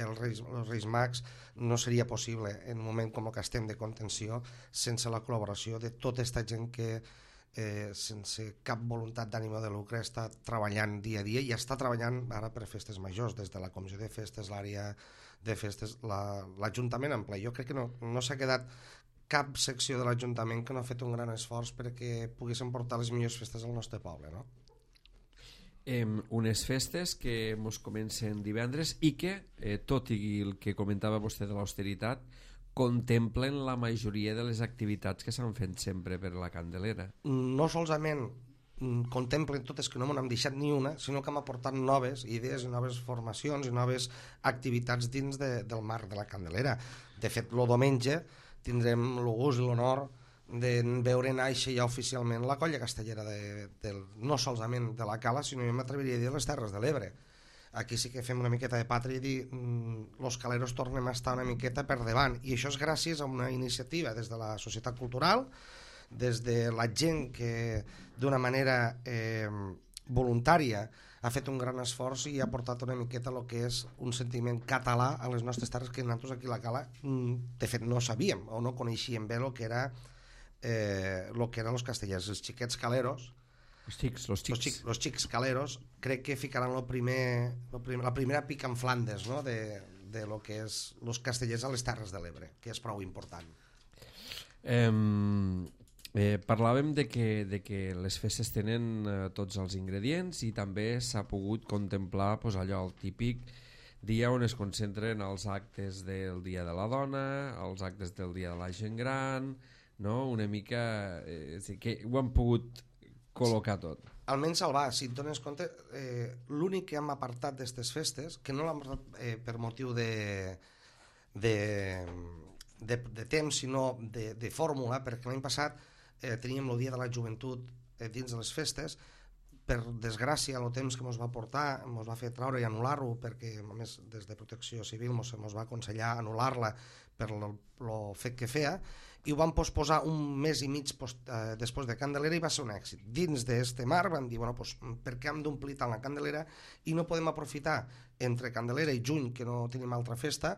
els Reis, els Reis Mags. No seria possible en un moment com el que estem de contenció sense la col·laboració de tota aquesta gent que eh, sense cap voluntat d'ànima de lucre està treballant dia a dia i està treballant ara per festes majors, des de la comissió de festes, l'àrea de festes, l'Ajuntament la, en ple. Jo crec que no, no s'ha quedat cap secció de l'Ajuntament que no ha fet un gran esforç perquè poguessin portar les millors festes al nostre poble, no?
Eh, unes festes que ens comencen divendres i que, eh, tot i el que comentava vostè de l'austeritat, contemplen la majoria de les activitats que s'han fet sempre per la Candelera.
No solament contemplen totes, que no m'han deixat ni una, sinó que hem aportat noves idees i noves formacions i noves activitats dins de, del marc de la Candelera. De fet, el diumenge tindrem el gust i l'honor de veure néixer ja oficialment la colla castellera de, de, no solament de la Cala, sinó jo m'atreviria a dir les Terres de l'Ebre. Aquí sí que fem una miqueta de pàtria i dir mm, los caleros tornem a estar una miqueta per davant, i això és gràcies a una iniciativa des de la societat cultural, des de la gent que d'una manera eh, voluntària, ha fet un gran esforç i ha portat una miqueta el que és un sentiment català a les nostres terres, que nosaltres aquí a la Cala de fet no sabíem o no coneixíem bé el que era eh, lo que eren els castellers, els xiquets caleros,
los xics, los xics.
Los, xics, los xics caleros, crec que ficaran lo primer, lo primer, la primera pica en Flandes, no? de, de lo que és los castellers a les Terres de l'Ebre, que és prou important.
Eh, eh, parlàvem de que, de que les festes tenen eh, tots els ingredients i també s'ha pogut contemplar pues, allò, el típic dia on es concentren els actes del Dia de la Dona, els actes del Dia de la Gent Gran, no? Una mica eh, que ho han pogut col·locar tot.
Almenys Salvar, si et dones compte, eh, l'únic que hem apartat d'aquestes festes, que no l'hem apartat eh, per motiu de, de, de, de temps, sinó de, de fórmula, perquè l'any passat eh, teníem el Dia de la Joventut eh, dins de les festes. Per desgràcia, el temps que ens va portar ens va fer traure i anul·lar-ho, perquè a més des de Protecció Civil ens va aconsellar anul·lar-la per el fet que feia, i ho van posposar un mes i mig post, eh, després de Candelera, i va ser un èxit. Dins d'aquest marc van dir, bueno, pues, per què hem d'omplir tant la Candelera i no podem aprofitar entre Candelera i juny, que no tenim altra festa,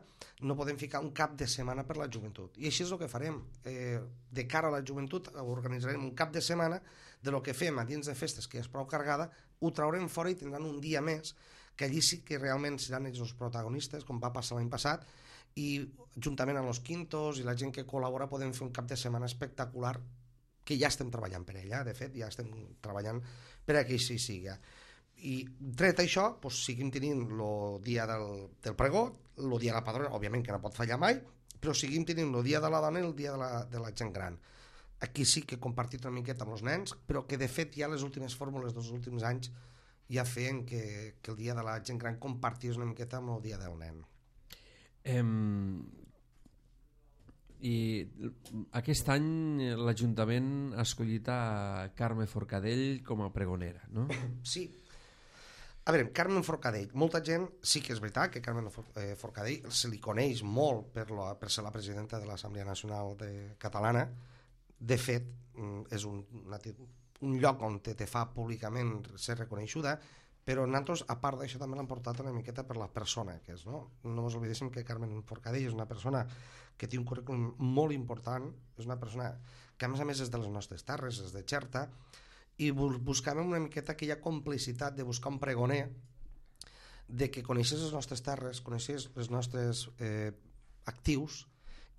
no podem ficar un cap de setmana per la joventut. I així és el que farem. Eh, de cara a la joventut organitzarem un cap de setmana de lo que fem a dins de festes, que és prou cargada, ho traurem fora i tindran un dia més, que allí sí que realment seran ells els protagonistes, com va passar l'any passat, i juntament amb els quintos i la gent que col·labora podem fer un cap de setmana espectacular, que ja estem treballant per ella, de fet, ja estem treballant per a que així sigui. I tret això, doncs, seguim tenint el dia del, del pregó, el dia de la padrona, òbviament que no pot fallar mai, però seguim tenint el dia de la dona i el dia de la, de la gent gran. Aquí sí que he compartit una miqueta amb els nens, però que de fet ja les últimes fórmules dels últims anys ja feien que, que el dia de la gent gran compartís una miqueta amb el dia del nen.
Um, I aquest any l'Ajuntament ha escollit a Carme Forcadell com a pregonera, no?
Sí. A veure, Carmen Forcadell, molta gent, sí que és veritat que Carmen Forcadell se li coneix molt per, la, per ser la presidenta de l'Assemblea Nacional de Catalana. De fet, és un, un lloc on te, te fa públicament ser reconeixuda, però nosaltres, a part d'això, també l'han portat una miqueta per la persona que és, no? No ens oblidéssim que Carmen Forcadell és una persona que té un currículum molt important, és una persona que a més a més és de les nostres terres, és de Xerta, i buscàvem una miqueta aquella complicitat de buscar un pregoner, de que coneixés les nostres terres, coneixés els nostres eh, actius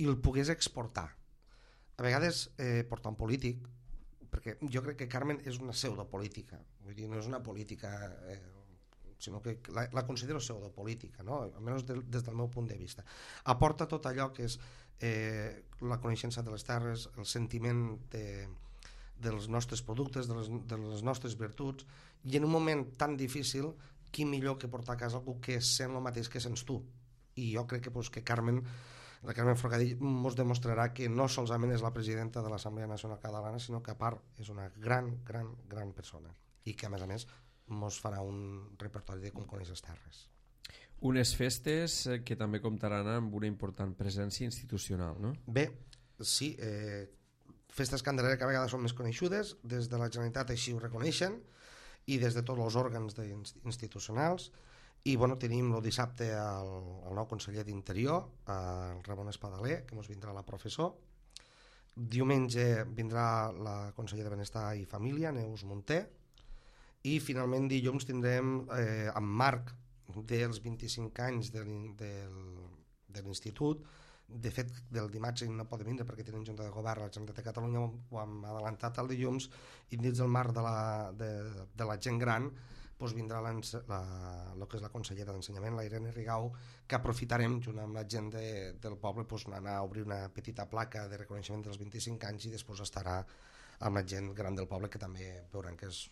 i el pogués exportar. A vegades eh, portar un polític, perquè jo crec que Carmen és una pseudopolítica, vull dir, no és una política, eh, sinó que la, la considero pseudopolítica, no? Almenys de, des del meu punt de vista. Aporta tot allò que és eh, la coneixença de les terres, el sentiment de, dels nostres productes, de les, de les nostres virtuts, i en un moment tan difícil, qui millor que portar a casa algú que sent el mateix que sents tu. I jo crec que, pues, que Carmen la Carmen Forcadell ens demostrarà que no solament és la presidenta de l'Assemblea Nacional Catalana, sinó que a part és una gran, gran, gran persona i que a més a més ens farà un repertori de com coneix les terres.
Unes festes que també comptaran amb una important presència institucional, no?
Bé, sí, eh, festes Candelera que a vegades són més coneixudes, des de la Generalitat així ho reconeixen i des de tots els òrgans institucionals. I bueno, tenim el dissabte el, el nou conseller d'Interior, el Ramon Espadaler, que ens vindrà la professor. Diumenge vindrà la consellera de Benestar i Família, Neus Munté. I finalment dilluns tindrem, eh, en marc dels vint-i-cinc anys de, de, de l'Institut, de fet del dimarts no podem vindre perquè tenim Junta de Govern, la Generalitat de Catalunya ho hem adelantat el dilluns, i dins del marc de la, de, de la gent gran doncs vindrà la, la, el que és la consellera d'Ensenyament, la Irene Rigau, que aprofitarem junt amb la gent de, del poble doncs, anar a obrir una petita placa de reconeixement dels vint-i-cinc anys i després estarà amb la gent gran del poble, que també veuran que és,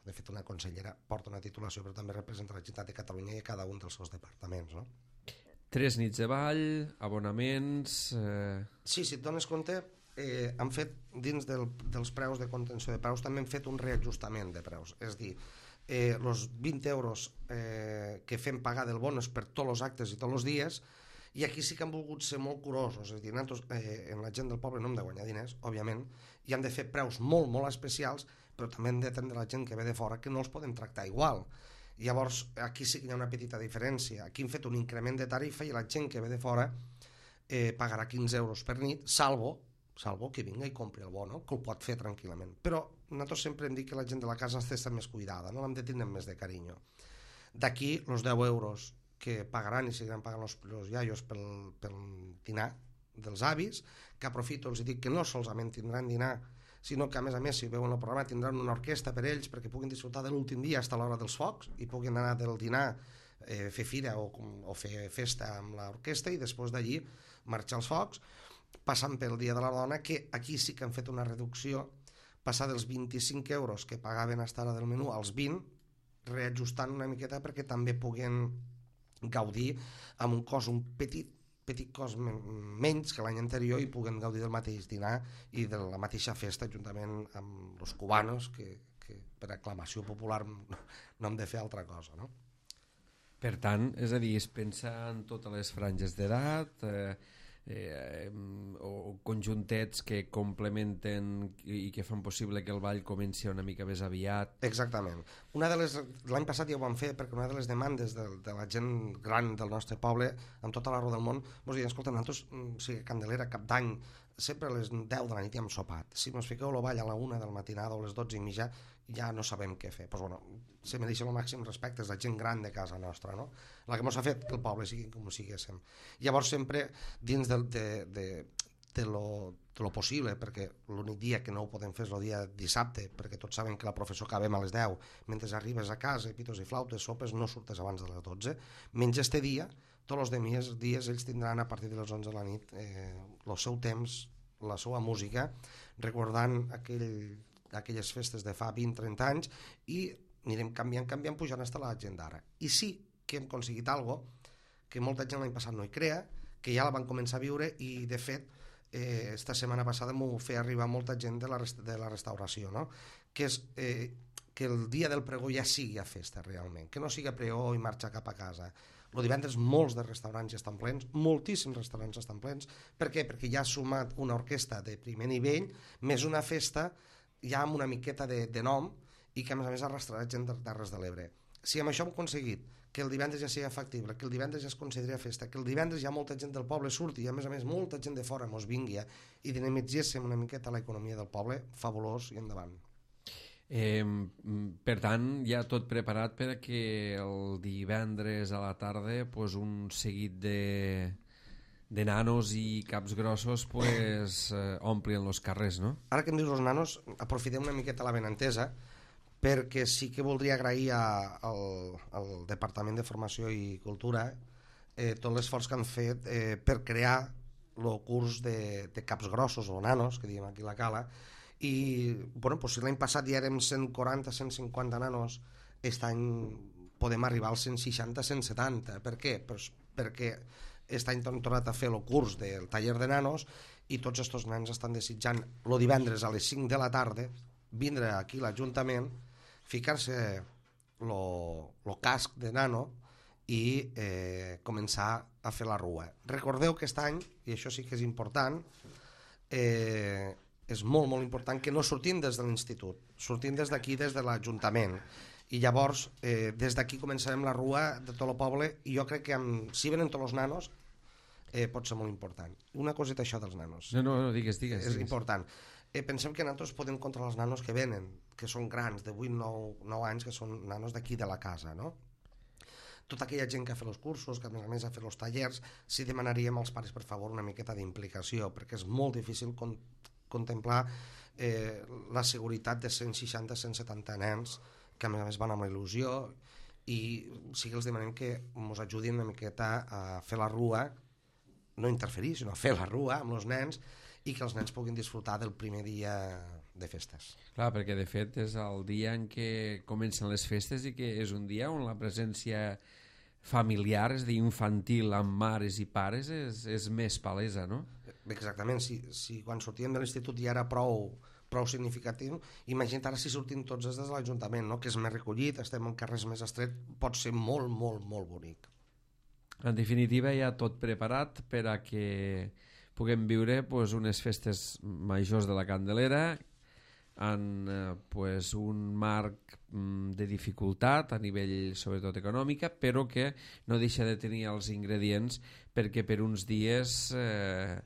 de fet, una consellera, porta una titulació però també representa la Generalitat de Catalunya i cada un dels seus departaments, no?
Tres nits de ball, abonaments... Eh...
Sí, si et dones compte, eh, han fet dins del, dels preus de contenció de preus també han fet un reajustament de preus, és a dir, eh, els vint euros eh, que fem pagar del bonus per tots els actes i tots els dies, i aquí sí que han volgut ser molt curosos, és a dir, nosaltres, eh, en la gent del poble no hem de guanyar diners, òbviament, i han de fer preus molt, molt especials però també hem d'atendre la gent que ve de fora, que no els podem tractar igual. Llavors, aquí sí que hi ha una petita diferència. Aquí hem fet un increment de tarifa i la gent que ve de fora eh, pagarà quinze euros per nit, salvo, salvo que vinga i compri el bo, no? Que ho pot fer tranquil·lament. Però nosaltres sempre hem dit que la gent de la casa està més cuidada, no l'hem de tindre més de carinyo. D'aquí, els deu euros que pagaran i seguiran pagant els, els iaios pel, pel dinar dels avis, que aprofito, els dic que no solament tindran dinar, sinó que a més a més si veuen el programa tindran una orquestra per ells perquè puguin disfrutar de l'últim dia fins a l'hora dels focs i puguin anar del dinar, eh, fer fira o, o fer festa amb l'orquestra i després d'allí marxar als focs, passant pel Dia de la Dona, que aquí sí que han fet una reducció, passar dels vint-i-cinc euros que pagaven fins ara del menú als vint, reajustant una miqueta perquè també puguin gaudir amb un cost un petit petit cost menys que l'any anterior i puguen gaudir del mateix dinar i de la mateixa festa juntament amb els cubanos que, que per aclamació popular no, no hem de fer altra cosa, no?
Per tant, és a dir, es pensa en totes les franges d'edat eh, eh, o conjuntets que complementen i que fan possible que el ball comenci una mica més aviat.
Exactament. Una de les, l'any passat ja ho vam fer perquè una de les demandes de, de la gent gran del nostre poble, amb tota l'arreu del món, ens deien, escolta, nosaltres, o sigui, Candelera, Cap d'Any, sempre a les deu de la nit ja hem sopat. Si ens fiqueu el ball a la una del matinada o a les dotze i mitja, ja no sabem què fer. Pues, bueno, se mereixen el màxim respecte, és la gent gran de casa nostra, no? La que ens ha fet que el poble sigui com siguéssim. Llavors sempre dins de, de, de, de, lo, de lo possible, perquè l'únic dia que no ho podem fer és el dia dissabte, perquè tots saben que la professó acabem a les deu, mentre arribes a casa, pitos i flautes, sopes, no surtes abans de les dotze, menys este dia, tots els demés dies ells tindran a partir de les onze de la nit eh, el seu temps, la seva música, recordant aquell, aquelles festes de fa vint trenta anys i anirem canviant, canviant, pujant fins a la gent d'ara. I sí que hem aconseguit algo que molta gent l'any passat no hi crea, que ja la van començar a viure i de fet eh, esta setmana passada m'ho feia arribar molta gent de la, rest de la restauració, no? Que és eh, que el dia del pregó ja sigui a festa realment, que no sigui a pregó i marxar cap a casa. El divendres molts de restaurants ja estan plens, moltíssims restaurants estan plens. Per què? Perquè ja ha sumat una orquestra de primer nivell, més una festa ja amb una miqueta de, de nom i que a més a més arrastrarà gent de Terres de l'Ebre. Si amb això hem aconseguit que el divendres ja sigui factible, que el divendres ja es consideri festa, que el divendres ja molta gent del poble surti i a més a més molta gent de fora mos vingui i dinamitzéssim una miqueta l'economia del poble, fabulós i endavant.
Eh, per tant, ja tot preparat per que el divendres a la tarda pues, un seguit de, de nanos i caps grossos pues, eh, omplien els carrers, no?
Ara que em dius els nanos, aprofitem una miqueta la benentesa perquè sí que voldria agrair a, al, al Departament de Formació i Cultura eh, tot l'esforç que han fet eh, per crear el curs de, de caps grossos o nanos, que diem aquí a la Cala, i bueno, pues si l'any passat ja érem cent quaranta a cent cinquanta nanos, aquest any podem arribar als cent seixanta a cent setanta. Per què? Pues perquè aquest any hem tornat a fer el curs del taller de nanos i tots aquests nens estan desitjant el divendres a les cinc de la tarda vindre aquí a l'Ajuntament, ficar-se el casc de nano i eh, començar a fer la rua. Recordeu que aquest any, i això sí que és important, eh, és molt, molt important que no sortim des de l'institut, sortim des d'aquí, des de l'Ajuntament. I llavors, eh, des d'aquí començarem la rua de tot el poble i jo crec que amb, si venen tots els nanos eh, pot ser molt important. Una coseta això dels nanos.
No, no, no digues, digues.
És
digues.
important. Eh, pensem que nosaltres podem controlar els nanos que venen, que són grans, de vuit nou anys, que són nanos d'aquí de la casa, no? Tota aquella gent que ha fet els cursos, que a més a més ha fet els tallers, sí demanaríem als pares, per favor, una miqueta d'implicació, perquè és molt difícil con contemplar eh, la seguretat de cent seixanta a cent setanta nens que a més a més van amb la il·lusió i sí que els demanem que ens ajudin una miqueta a fer la rua, no interferir, sinó a fer la rua amb els nens i que els nens puguin disfrutar del primer dia de festes.
Clar, perquè de fet és el dia en què comencen les festes i que és un dia on la presència familiar, és a dir, infantil amb mares i pares és, és més palesa, no?
Exactament, si, si quan sortíem de l'institut ja era prou, prou significatiu, imagina't ara si sortim tots des de l'Ajuntament, no? Que és més recollit, estem en carrers més estrets, pot ser molt, molt, molt bonic.
En definitiva, ja tot preparat per a que puguem viure pues, unes festes majors de la Candelera en eh, pues un marc mm, de dificultat a nivell sobretot econòmica, però que no deixa de tenir els ingredients perquè per uns dies eh,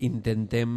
intentem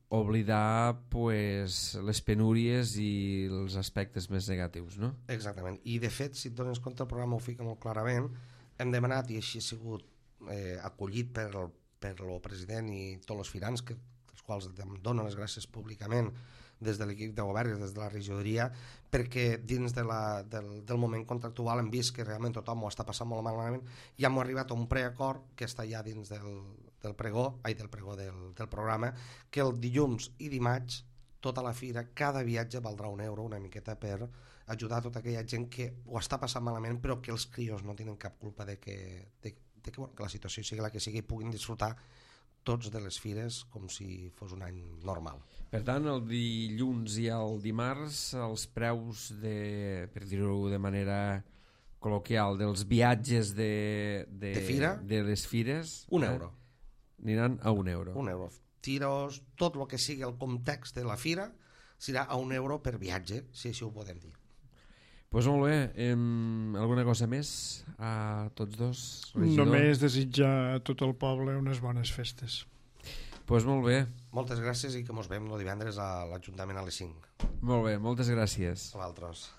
oblidar pues, les penúries i els aspectes més negatius, no?
Exactament, i de fet, si et dones compte, el programa ho fica molt clarament. Hem demanat, i així ha sigut eh, acollit per el, per el president i tots els firans, que, els quals em donen les gràcies públicament des de l'equip de govern i des de la regidoria, perquè dins de la, del, del moment contractual hem vist que realment tothom ho està passant molt malament i hem arribat a un preacord que està ja dins del, del pregó, ai, del pregó del, del programa, que el dilluns i dimarts tota la fira, cada viatge valdrà un euro, una miqueta per ajudar tota aquella gent que ho està passant malament però que els crios no tenen cap culpa de que, de, de que, bueno, que la situació sigui la que sigui i puguin disfrutar tots de les fires com si fos un any normal.
Per tant, el dilluns i el dimarts els preus de, per dir-ho de manera col·loquial, dels viatges de, de,
de, fira,
de les fires
un
eh,
euro.
Aniran a un euro.
Un euro. Tiros, tot el que sigui el context de la fira serà a un euro per viatge, si així ho podem dir.
Pues molt bé, eh, alguna cosa més a tots dos, regidor?
Només desitjar a tot el poble unes bones festes.
Pues molt bé.
Moltes gràcies i que mos veiem el divendres a l'Ajuntament a les cinc.
Molt bé, moltes gràcies.
A vosaltres.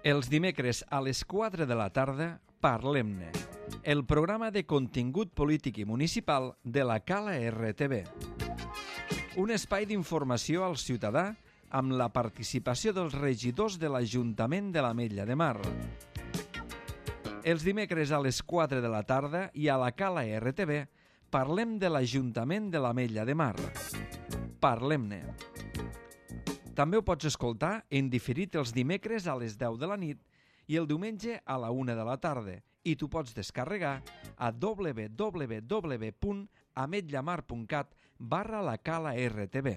Els dimecres a les quatre de la tarda, Parlem-ne, el programa de contingut polític i municipal de la Cala R T V. Un espai d'informació al ciutadà amb la participació dels regidors de l'Ajuntament de l'Ametlla de Mar. Els dimecres a les quatre de la tarda i a la Cala R T V parlem de l'Ajuntament de l'Ametlla de Mar. Parlem-ne. També ho pots escoltar en diferit els dimecres a les deu de la nit i el diumenge a la una de la tarda i t'ho pots descarregar a w w w punt ametlamar punt cat barra la Cala R T V.